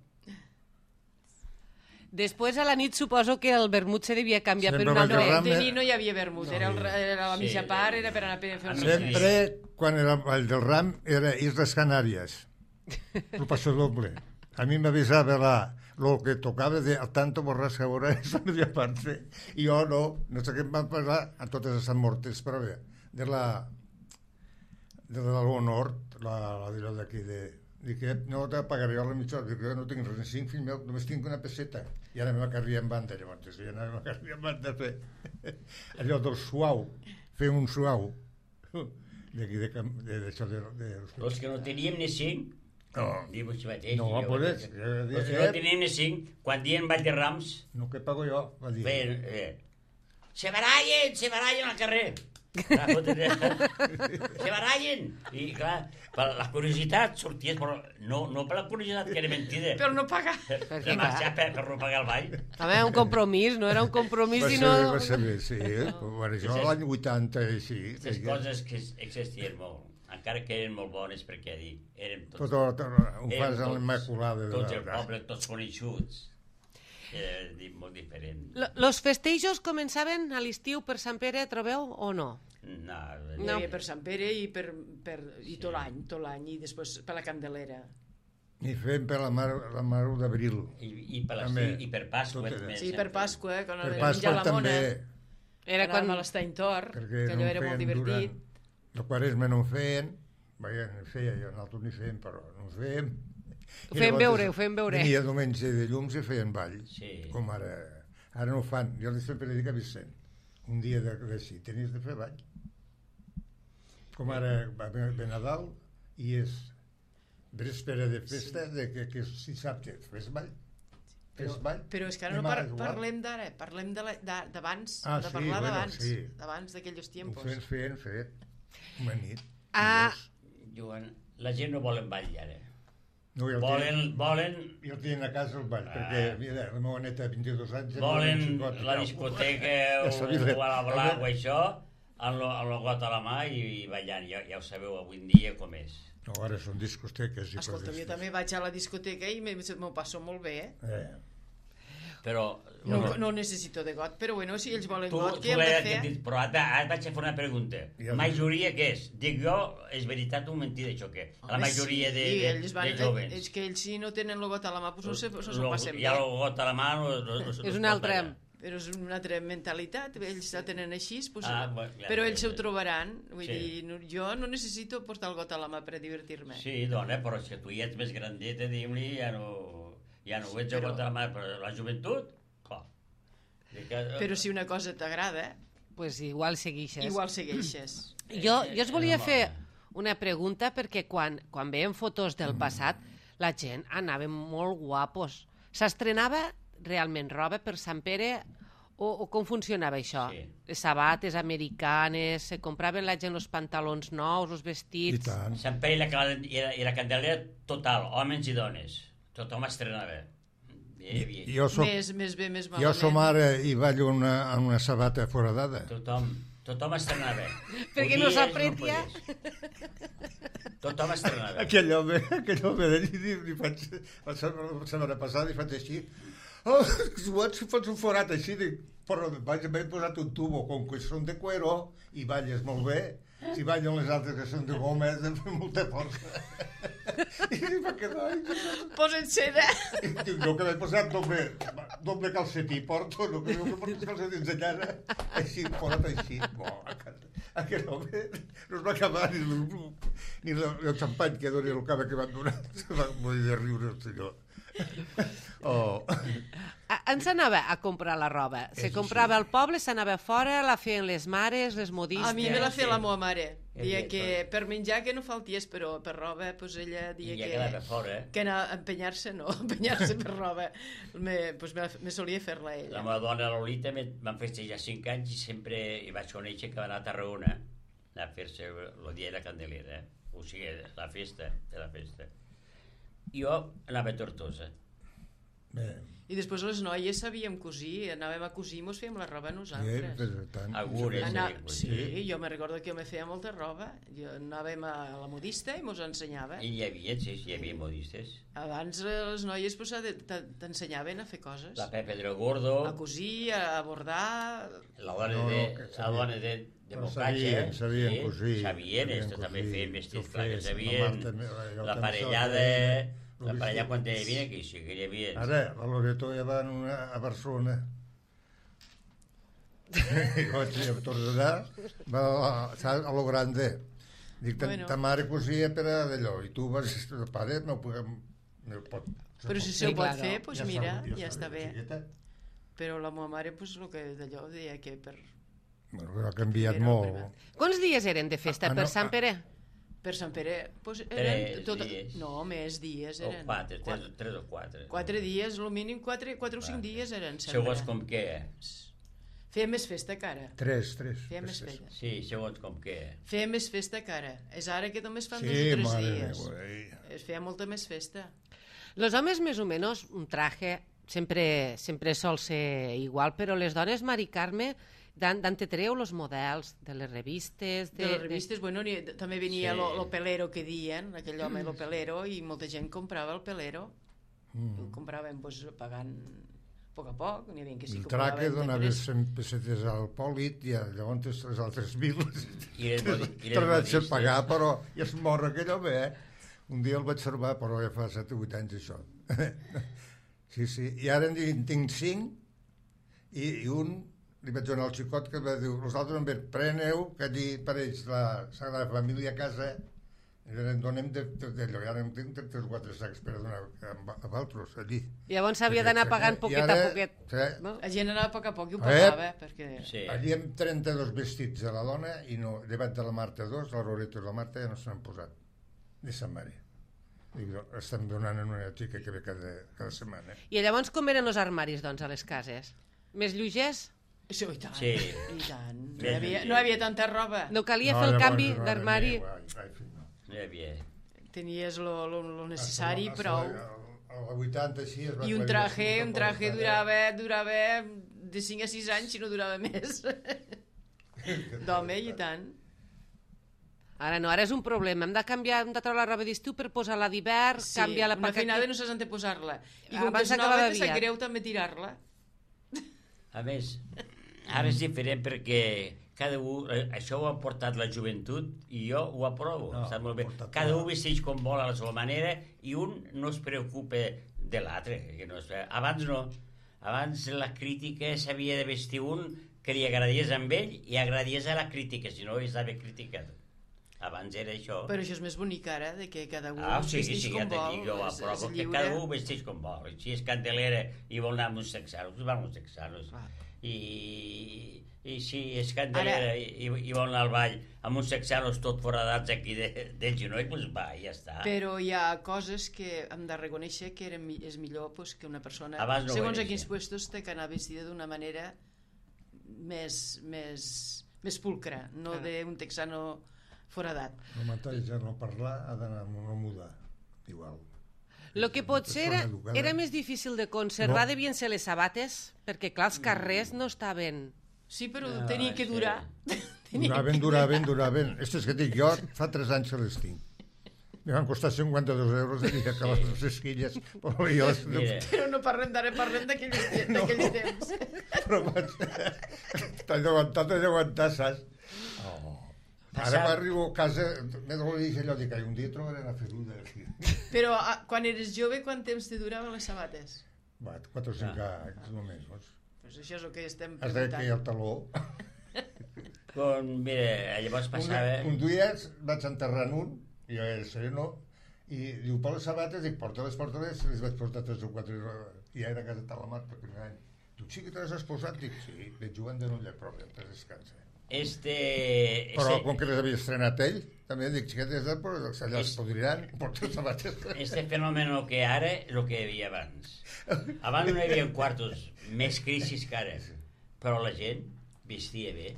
Després a la nit suposo que el vermut se devia canviar per un altre. De nit no hi havia vermut, era la mitja part, era per anar a fer el mitja. Sempre, quan era el ball del ram, era Isles Canàries. El passo doble. A mi m'avisava lo que tocava de al tanto borràs que veurà és la media parte. I jo no sé què em van parlar a totes les mortes, però bé, de l'honor, la d'aquí de... Dic que no te pagaré jo la mitja hora, dic que no tinc res, ni 5 fills meus, només tinc una peseta. I ara me la carria en banda, llavors, i anava a carria en banda a fer allò del suau, fer un suau, d'aquí d'això de... Els que no teníem ni 5, diu així mateix. No, pues, els que no teníem ni 5, quan dien ball de rams... No, que pago jo, va dir. Se barallen al carrer. Se barallen. I clar, per la curiositat sorties, però no per la curiositat que era mentida. Per no pagar. Per marxar per no pagar el ball. Home, un compromís, no era un compromís, sinó... Va ser bé, sí. Bueno, això l'any 80 i sí. Les coses que existien molt. Encara que eren molt bones, perquè eren tots... Ho fas a l'Immaculada. Tots el poble, tots coneixuts. Era molt diferent. Los festejos començaven a l'estiu per Sant Pere, trobeu, o no? No. Hi havia per Sant Pere i tot l'any, i després per la Candelera. I fem per la Mar d'Abril. I per Pasqua. Sí, per Pasqua, quan per Pasqua també. Era quan a l'Estany Tor, que allò era molt divertit. La Quaresma no ho feien, nosaltres ni fèiem, però no ho fèiem. Ho feien veure. Venia diumenge de llums i feien ball, sí. Com ara no ho fan. Jo sempre dic a Vicent, un dia d'així, tenies de fer ball. Com ara va ve Nadal i és véspera de festa, que és dissabte, fes ball. Però és que ara no parlem d'ara, parlem d'abans, de parlar d'abans d'aquells tiempos. Ho feien fet, una nit. Joan, la gent no vol ball ara. No, volen jo el tenen a casa al ball, perquè, mira, la meva neta de 22 anys... la discoteca o a la blanc o això, amb el got a la mà i ballant. Ja ho sabeu avui en dia com és. No, ara són discoteques i Escolta, jo també vaig a la discoteca i m'ho passo molt bé, Però... No necessito de got, però bueno, si ells volen got, Tu què hem de fer? però ara vaig a fer una pregunta. Majoria què és? Dic jo, és veritat o mentida això què? La majoria de jovens. És que ells si no tenen el got a la mà, doncs no s'ho passen bé. Ja el got a la mà... És una altra... Però és una altra mentalitat, ells la tenen així, però ells ho trobaran. Vull dir, jo no necessito portar el got a la mà per divertir-me. Sí, dona, però si tu ja ets més grandeta, diguem-li, ja no ho ets el got a la mà, però la joventut... Però si una cosa t'agrada... Pues igual segueixes. Jo us volia fer una pregunta perquè quan veiem fotos del passat la gent anava molt guapos. S'estrenava realment roba per Sant Pere o com funcionava això? Sí. Les sabates americanes, se compraven la gent els pantalons nous, els vestits... I tant. Sant Pere i la Candelera total, homes i dones. Tothom estrenava. Més bé, més malament. Jo som ara i ballo amb una sabata foradada. Tothom estrenava. Perquè no s'apretia. Tothom estrenava. Aquell home d'allí, li faig, la setmana passada li faig així, si fots un forat així, però m'he posat un tubo, com que són de cuero i balles molt bé, si ballen les altres que són de goma, has de fer molta força. I va quedar... Posa't seda. Jo que m'he posat doble calcetí, porto, no que porto calcetins de llana, així, forat així. Aquest home no es va acabar ni el xampany que doni el cava que van donar. Se va morir de riure el senyor. On s'anava a comprar la roba? Se comprava al poble, s'anava fora, la feien les mares, les modistes... A mi me la feia la meva mare. Dia que per menjar que no falties, però per roba, doncs ella dia que... I ja quedava fora. Que anar a empenyar-se per roba. Me solia fer-la ella. La meva dona Lolita van festejar 5 anys i sempre hi vaig conèixer que va anar a Tarragona a fer-se el dia de la Candelera, o sigui, la festa. Jo anava a Tortosa. I després les noies sabíem cosir, anàvem a cosir i mos fèiem la roba nosaltres. Sí, jo me recordo que jo me feia molta roba. Anàvem a la modista i mos ensenyava. I hi havia modistes. Abans les noies t'ensenyaven a fer coses. La Pepe del Gordo. A cosir, a bordar... La dona de Bocatge. Sabien cosir. Sabien, també feien vestits, clar que sabien. La parellada... La parella quan hi havia, que sí que hi havia... Ara, la Loreto ja va a Barcelona. I vaig tornar, va a lo grande. Dic, ta mare cosia per a d'allò, i tu vas... El pare no pot... Però si se ho pot fer, doncs mira, ja està bé. Però la meva mare, doncs, el que d'allò deia que per... Bueno, ha canviat molt. Quants dies eren de festa per Sant Pere? Per Sant Pere, doncs eren... 3 dies. No, més dies eren. O 4, 3 o 4. 4 dies, el mínim 4 o 5 dies eren sempre. Segons com què. Feia més festa que ara. 3. Feia més festa. Sí, segons com què. Feia més festa que ara. És ara que només fan 2 o 3 dies. Es feia molta més festa. Los homes més o menys un traje sempre sol ser igual, però les dones, Mari Carme, d'on te treu els models de les revistes? De les revistes, bueno, també venia lo pelero que diuen, aquell home, lo pelero, i molta gent comprava el pelero. Compraven, doncs, pagant a poc, n'hi havia que sí el que compraven. traque donava 100 pessetes al pòlit i llavors les altres 1.000 tornats a pagar, però ja es mor aquell home, Un dia el vaig observar, però ja fa 7 o 8 anys això. Sí, i ara en tinc 5 i un li vaig donar al xicot que va dir, els altres em veuen, preneu, que allí pareix la Sagrada Família a casa, i en donem d'allò, i ara en tinc 3 o 4 sacs per donar a altres, allí. Llavors s'havia d'anar pagant poquet a poquet. La gent anava a poc a poc i ho pagava, perquè... Allí hem 32 vestits de la dona, i llevat de la Marta 2, la Loreto i la Marta ja no s'han posat, de Sant Mari. Estem donant en una xica que ve cada setmana. I llavors com eren els armaris, doncs, a les cases? Més lleugers? Sí, i tant. Sí. I tant. No hi havia tanta roba. No calia fer el canvi d'armari? No hi havia. tenies lo necessari, prou. A la 80 així es va I un aclarir traje l'assumpte, durava de 5 a 6 anys, si no durava més. D'home, i tant. Ara no, ara és un problema. Hem de canviar, hem de treure la roba d'estiu per posar-la d'hivern, Sí, canviar-la una perquè feinada no saps on te posar-la. I com Abans que és d'acabar nova, de te sap viat. greu també tirar-la. A més, ara és diferent perquè cada un, això ho ha portat la joventut i jo ho aprovo, No, està molt bé. ho ha portat Cada la- un vesteix com vol a la seva manera i un no es preocupa de l'altre. Abans no. Abans la crítica s'havia de vestir un que li agradies amb ell i agradies a la crítica, si no estava criticat. Abans era això. Però això és més bonic ara, de que cada un Sí, vesteix ja com t'he vol. dit, jo ho és aprovo, que lliure. cada un vesteix com vol. Si és candelera i vol anar amb uns texanos, va amb uns texanos. Clar. I si és candelera i vol anar al ball amb uns texanos tot foradats aquí del genoll, doncs va, i ja està. Però hi ha coses que hem de reconèixer que és millor pues, que una persona, Abans no ho segons era, a quins sí. puestos, té que anar vestida d'una manera més pulcra, no d'un texano foradat. El mateix ja no parlar ha d'anar amb una muda, igual. el que potser Persona educada. era més difícil de conservar No. devien ser les sabates, perquè clar, els carrers no estaven... Sí, però No, tenia que sí. durar. Duraven. Estes que dic jo, fa 3 anys que les tinc. Me van costar 52 euros el dia que les esquilles, però jo les... Mira, Però no parlem d'ara, parlem d'aquells temps. Però vaig... T'has d'aguantar, saps? Ara m'arribo a casa, m'he de dir allò, dic, un dia trobaré una feruda aquí. Però quan eres jove, quant temps te duraven les sabates? Va, 4 o 5 anys només, vols? Pues això és el que estem Has de que hi ha el preguntant. taló. mira, llavors passava... Un dia vaig enterrar un, i jo era sereno, i diu, per les sabates, dic, porta-les, i les vaig portar 3 o 4, i ja era a casa de la mar per primer any. Tu sí que te les has posat? Dic, sí, veig jugant de nulla, però ja te descansa. Però com que les havia estrenat ell, també dic, xiquetes, però allà es podriran, porta les sabates. Este fenómeno que ara és el que hi havia abans. Abans no hi havia quartos, més crisis que ara, però la gent vestia bé,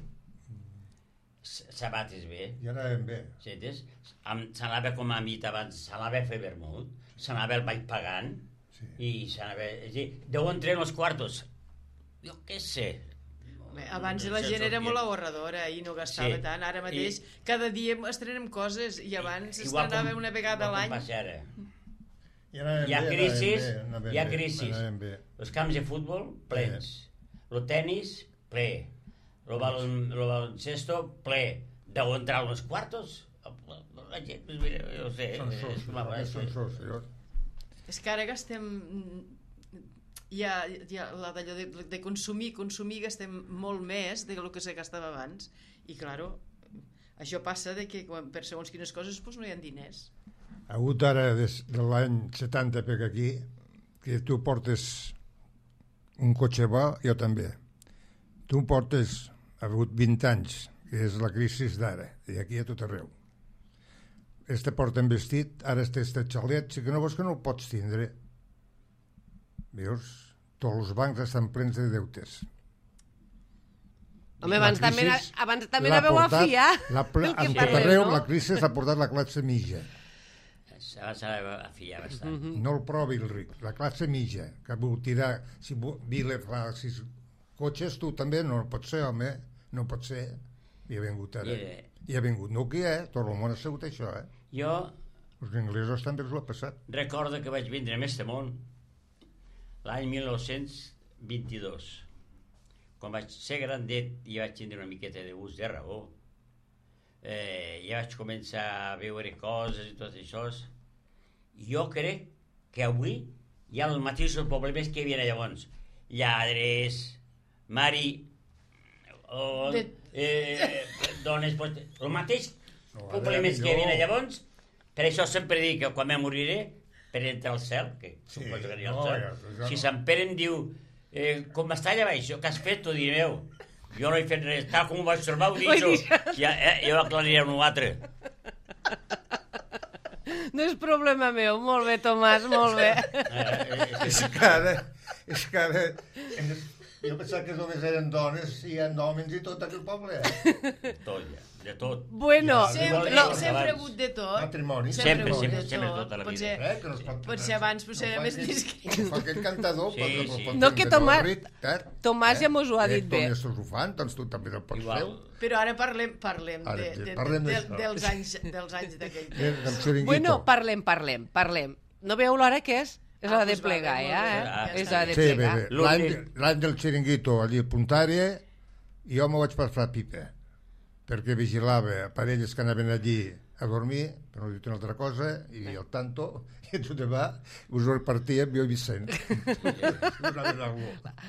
sabates bé, I anaven bé. sentes? S'anava com a mit abans, s'anava a fer vermut, s'anava al ball pagant, Sí. i s'anava... És a dir, d'on entren els quartos? Jo què sé. Bé, abans la No sé gent el era que- molt ahorradora i no gastava Sí. tant. Ara mateix, cada dia estrenem coses i abans Igual estrenava com- una vegada a igual com l'any. passa ara. I anaven Hi ha bé, crisis, anaven hi ha bé, crisis. anaven bé. Els camps de futbol, plens. El tennis, ple. El baloncesto, ple. Deu entrar uns quartos? La gent, pues mira, jo ho sé. Són és sos, com a vegades, són sos, senyors. És que ara gastem... Hi ha la d'allò de consumir, gastem molt més del que se gastava abans. I, claro, això passa de que per segons quines coses doncs no hi ha diners. Ha hagut ara, des de l'any 70 per aquí, que tu portes un cotxe bo, jo també. Tu portes, ha hagut 20 anys, que és la crisi d'ara, i aquí a tot arreu. Este porten vestit, ara este xalet, si que no vols que no el pots tindre. Veus? Tots els bancs estan plens de deutes. Home, La abans també, crisi abans també l'ha anàveu a portat- fiar l'ha del que a tot parlem, arreu, no? la crisi s'ha portat la classe mitja. S'ha de fiar bastant. No el provi el ric, la classe mitja, que vol tirar, si Vila fa 6 cotxes, tu també no pot ser, home, no pot ser. I ha vingut ara. Mira. I ha vingut Nokia, tot el món ha sigut això, Jo Els inglesos també els ho ha passat. recordo que vaig vindre a este món l'any 1922. Quan vaig ser grandet i vaig tindre una miqueta de gust de raó, ja vaig començar a veure coses i tot això. Jo crec que avui hi ha els mateixos problemes que hi havia llavors. Lladres, mari, dones... El mateix No, ara problemes que hi millor. havia llavors. Per això sempre dic que quan me moriré, per entrar al cel, que Sí, suposo que anirà no, al cel, ja si no. Sant Pere em diu com està allà baix, què has fet? Tu direu, jo no he fet res, tal com ho vaig trobar, ho dic jo. Jo aclariré un altre. No és problema meu. Molt bé, Tomàs, molt bé. És que ara Jo pensava que només eren dones i hi ha homes i tot aquell poble. Tot, ja, de tot. Bueno, Sempre Abans. ha hagut de tot. Matrimoni. Sempre, ha hagut sempre, de sempre, tot. tota la Potser- vida. Que no es pot... Potser abans potser era més discret. Fa aquell cantador, Sí, però sí. pot No, fer que un Tomàs- rit, Tomàs ja mos ho ha dit bé. Tots ho fan, doncs tu també el pots Igual. fer. Però ara parlem Ara, parlem d'això. dels anys d'aquell temps. Del xiringuito. Bueno, parlem. No veieu l'hora que és? És Ah, hora de doncs va, plegar, molt ja, bé. eh? Ja És està hora de Sí, bé, plegar. bé. L'últim. L'any del xiringuito allí a Puntària, jo me vaig passar pipa, perquè vigilava parelles que anaven allí a dormir, per no dir una altra cosa, i al tanto, i tot va, us ho repartíem jo i Vicent.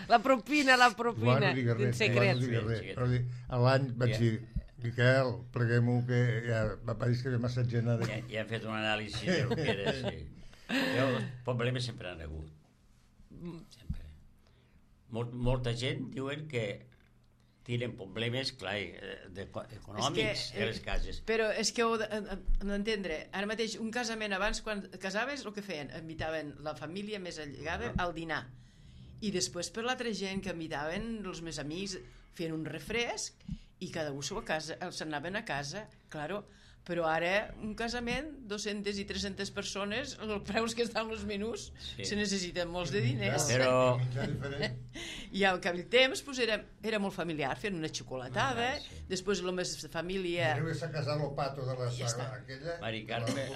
La propina, Igual no digues res, en igual secret. no digues Sí, res. sí. Però a l'any vaig Ja. dir, Miquel, pleguem-ho, que ja va pareix que ve massa gent. Ja hem fet un anàlisi del que era, sí. Els problemes sempre han hagut. Sempre. Molta gent diuen que tenen problemes, clar, econòmics de les cases. Però és que heu d'entendre, ara mateix un casament abans, quan casaves, el que feien? Invitaven la família més allegada al dinar. I després per l'altra gent que invitaven els més amics, feien un refresc i cada un s'anaven a casa, claro. Però ara, un casament, 200 i 300 persones, els preus que estan els menús, Sí. se necessiten molts de diners. Però I al aquell temps pues, era molt familiar, feien una xocolatada, Sí. després la meva família... Deu estar casat el pato de la Ja saga està. aquella. Mari Carme,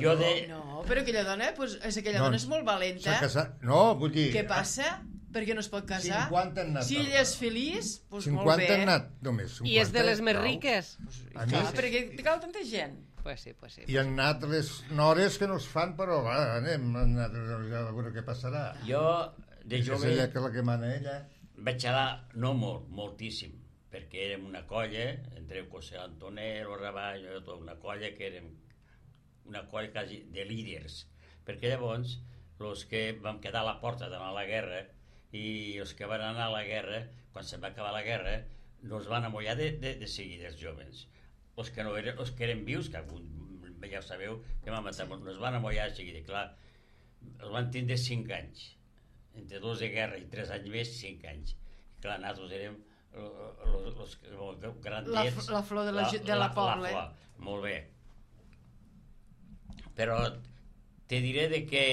Jo No, però aquella dona, pues, aquella No, dona és molt valenta. S'ha casat... No, vull dir... Què passa? Per què no es pot casar? 50 han anat Si al- ella és feliç, doncs molt 50 bé. han anat només. 50, I és de les més prou. riques. A Clar, més, perquè cal tanta gent. Pues sí, pues sí. hi han anat les nores que no es fan, però va, anem, han anat a veure què passarà. jo, de És jove, ella que la que mana ella. vaig xalar, no molt, moltíssim, perquè érem una colla, entre José Antonero, Raballo, tota una colla que érem una colla quasi de líders, perquè llavors els que vam quedar a la porta d'anar a la guerra i els que van anar a la guerra, quan se'n va acabar la guerra, no es van amollar de seguida els joves. Els que, no eren, els que eren vius, que algun, ja ho sabeu, que van matar, no es van amollar de seguida, clar, els van tindre 5 anys, entre 2 de guerra i 3 anys més, 5 anys. I clar, nosaltres érem els grandets... La flor de la pobla. flor, molt bé. Però te diré de que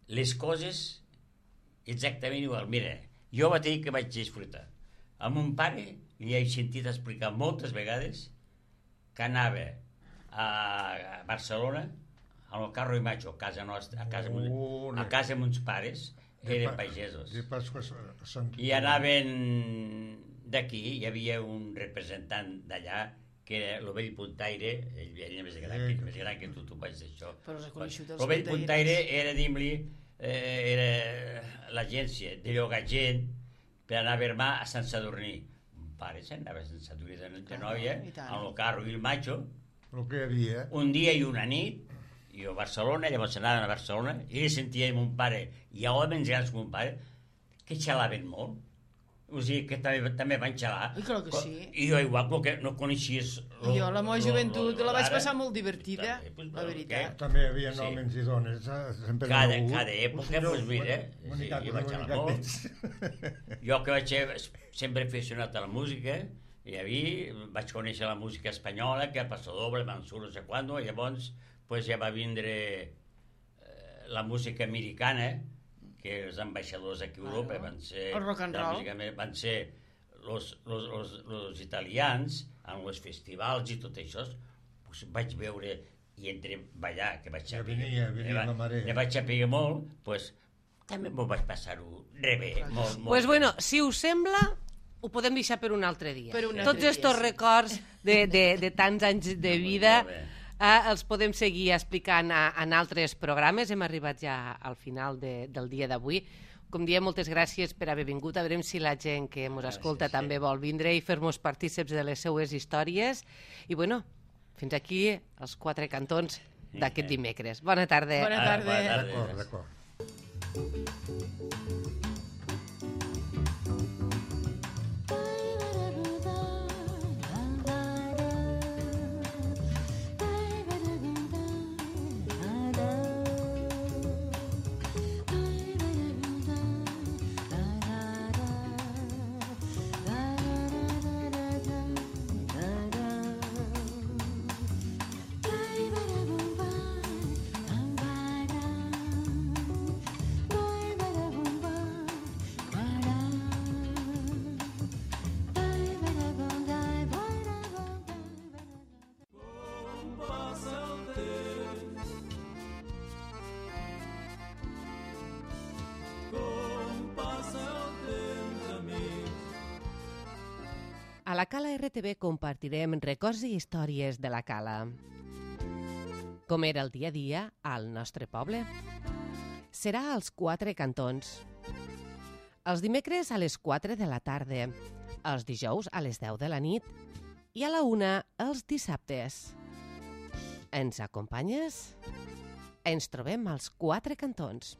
les coses exactament igual. Mira, jo vaig dir que vaig disfrutar. A mon pare li he sentit explicar moltes vegades que anava a Barcelona amb el carro i macho, a casa nostra, a casa amb uns pares, eren pagesos. De Pasqua a Sant... I anaven d'aquí, hi havia un representant d'allà que era l'Ovell Puntaire, ell era més gran que tu vaig d'això. Però els ha coneixut els L'Ovell puntaires. Puntaire era, dim-li, era l'agència de llogar gent per anar a Vermà a Sant Sadurní. Mon pare se'n anava a Sant Sadurní de noia, i tant. amb el carro i el macho, El que hi havia. un dia i una nit, jo a Barcelona, llavors anaven a Barcelona, i sentia mon pare, i a homes grans com mon pare, que xalaven molt. O sigui, que també van xalar. I clar que sí. I jo igual, com que no coneixies... Jo la meva joventut la vaig passar molt divertida, la veritat. També hi havia Sí. homes i dones. Sempre Cada n'hi ha hagut. cada època, doncs mira, sí, jo vaig xalar molt. Jo que vaig ser sempre aficionat a la música, i a mi vaig conèixer la música espanyola, que el Paso Doble, Mansur, no sé quant, i llavors pues, ja va vindre la música americana, que els ambaixadors aquí a Europa van ser... El rock and de la roll. música van ser los italians, amb els festivals i tot això, pues, vaig veure i entre ballar, que vaig Ja saber... venia la marea. Ne vaig saber molt, pues, també m'ho vaig passar-ho rebé, molt. Pues bueno, si us sembla, ho podem deixar per un altre dia. Per un Tots altre dia, estos sí. records de tants anys de vida Molt bé. els podem seguir explicant en altres programes. Hem arribat ja al final del dia d'avui. Com diem, moltes gràcies per haver vingut. A veurem si la gent que ens escolta sí. també vol vindre i fer-nos partíceps de les seues històries. I bueno, fins aquí els 4 cantons d'aquest dimecres. Bona tarda. Bona tarda. D'acord, d'acord. A la Cala RTV compartirem records i històries de la Cala. Com era el dia a dia al nostre poble. Serà als 4 cantons. Els dimecres a les 4 de la tarda, els dijous a les 10 de la nit i a la 1 els dissabtes. Ens acompanyes? Ens trobem als 4 cantons.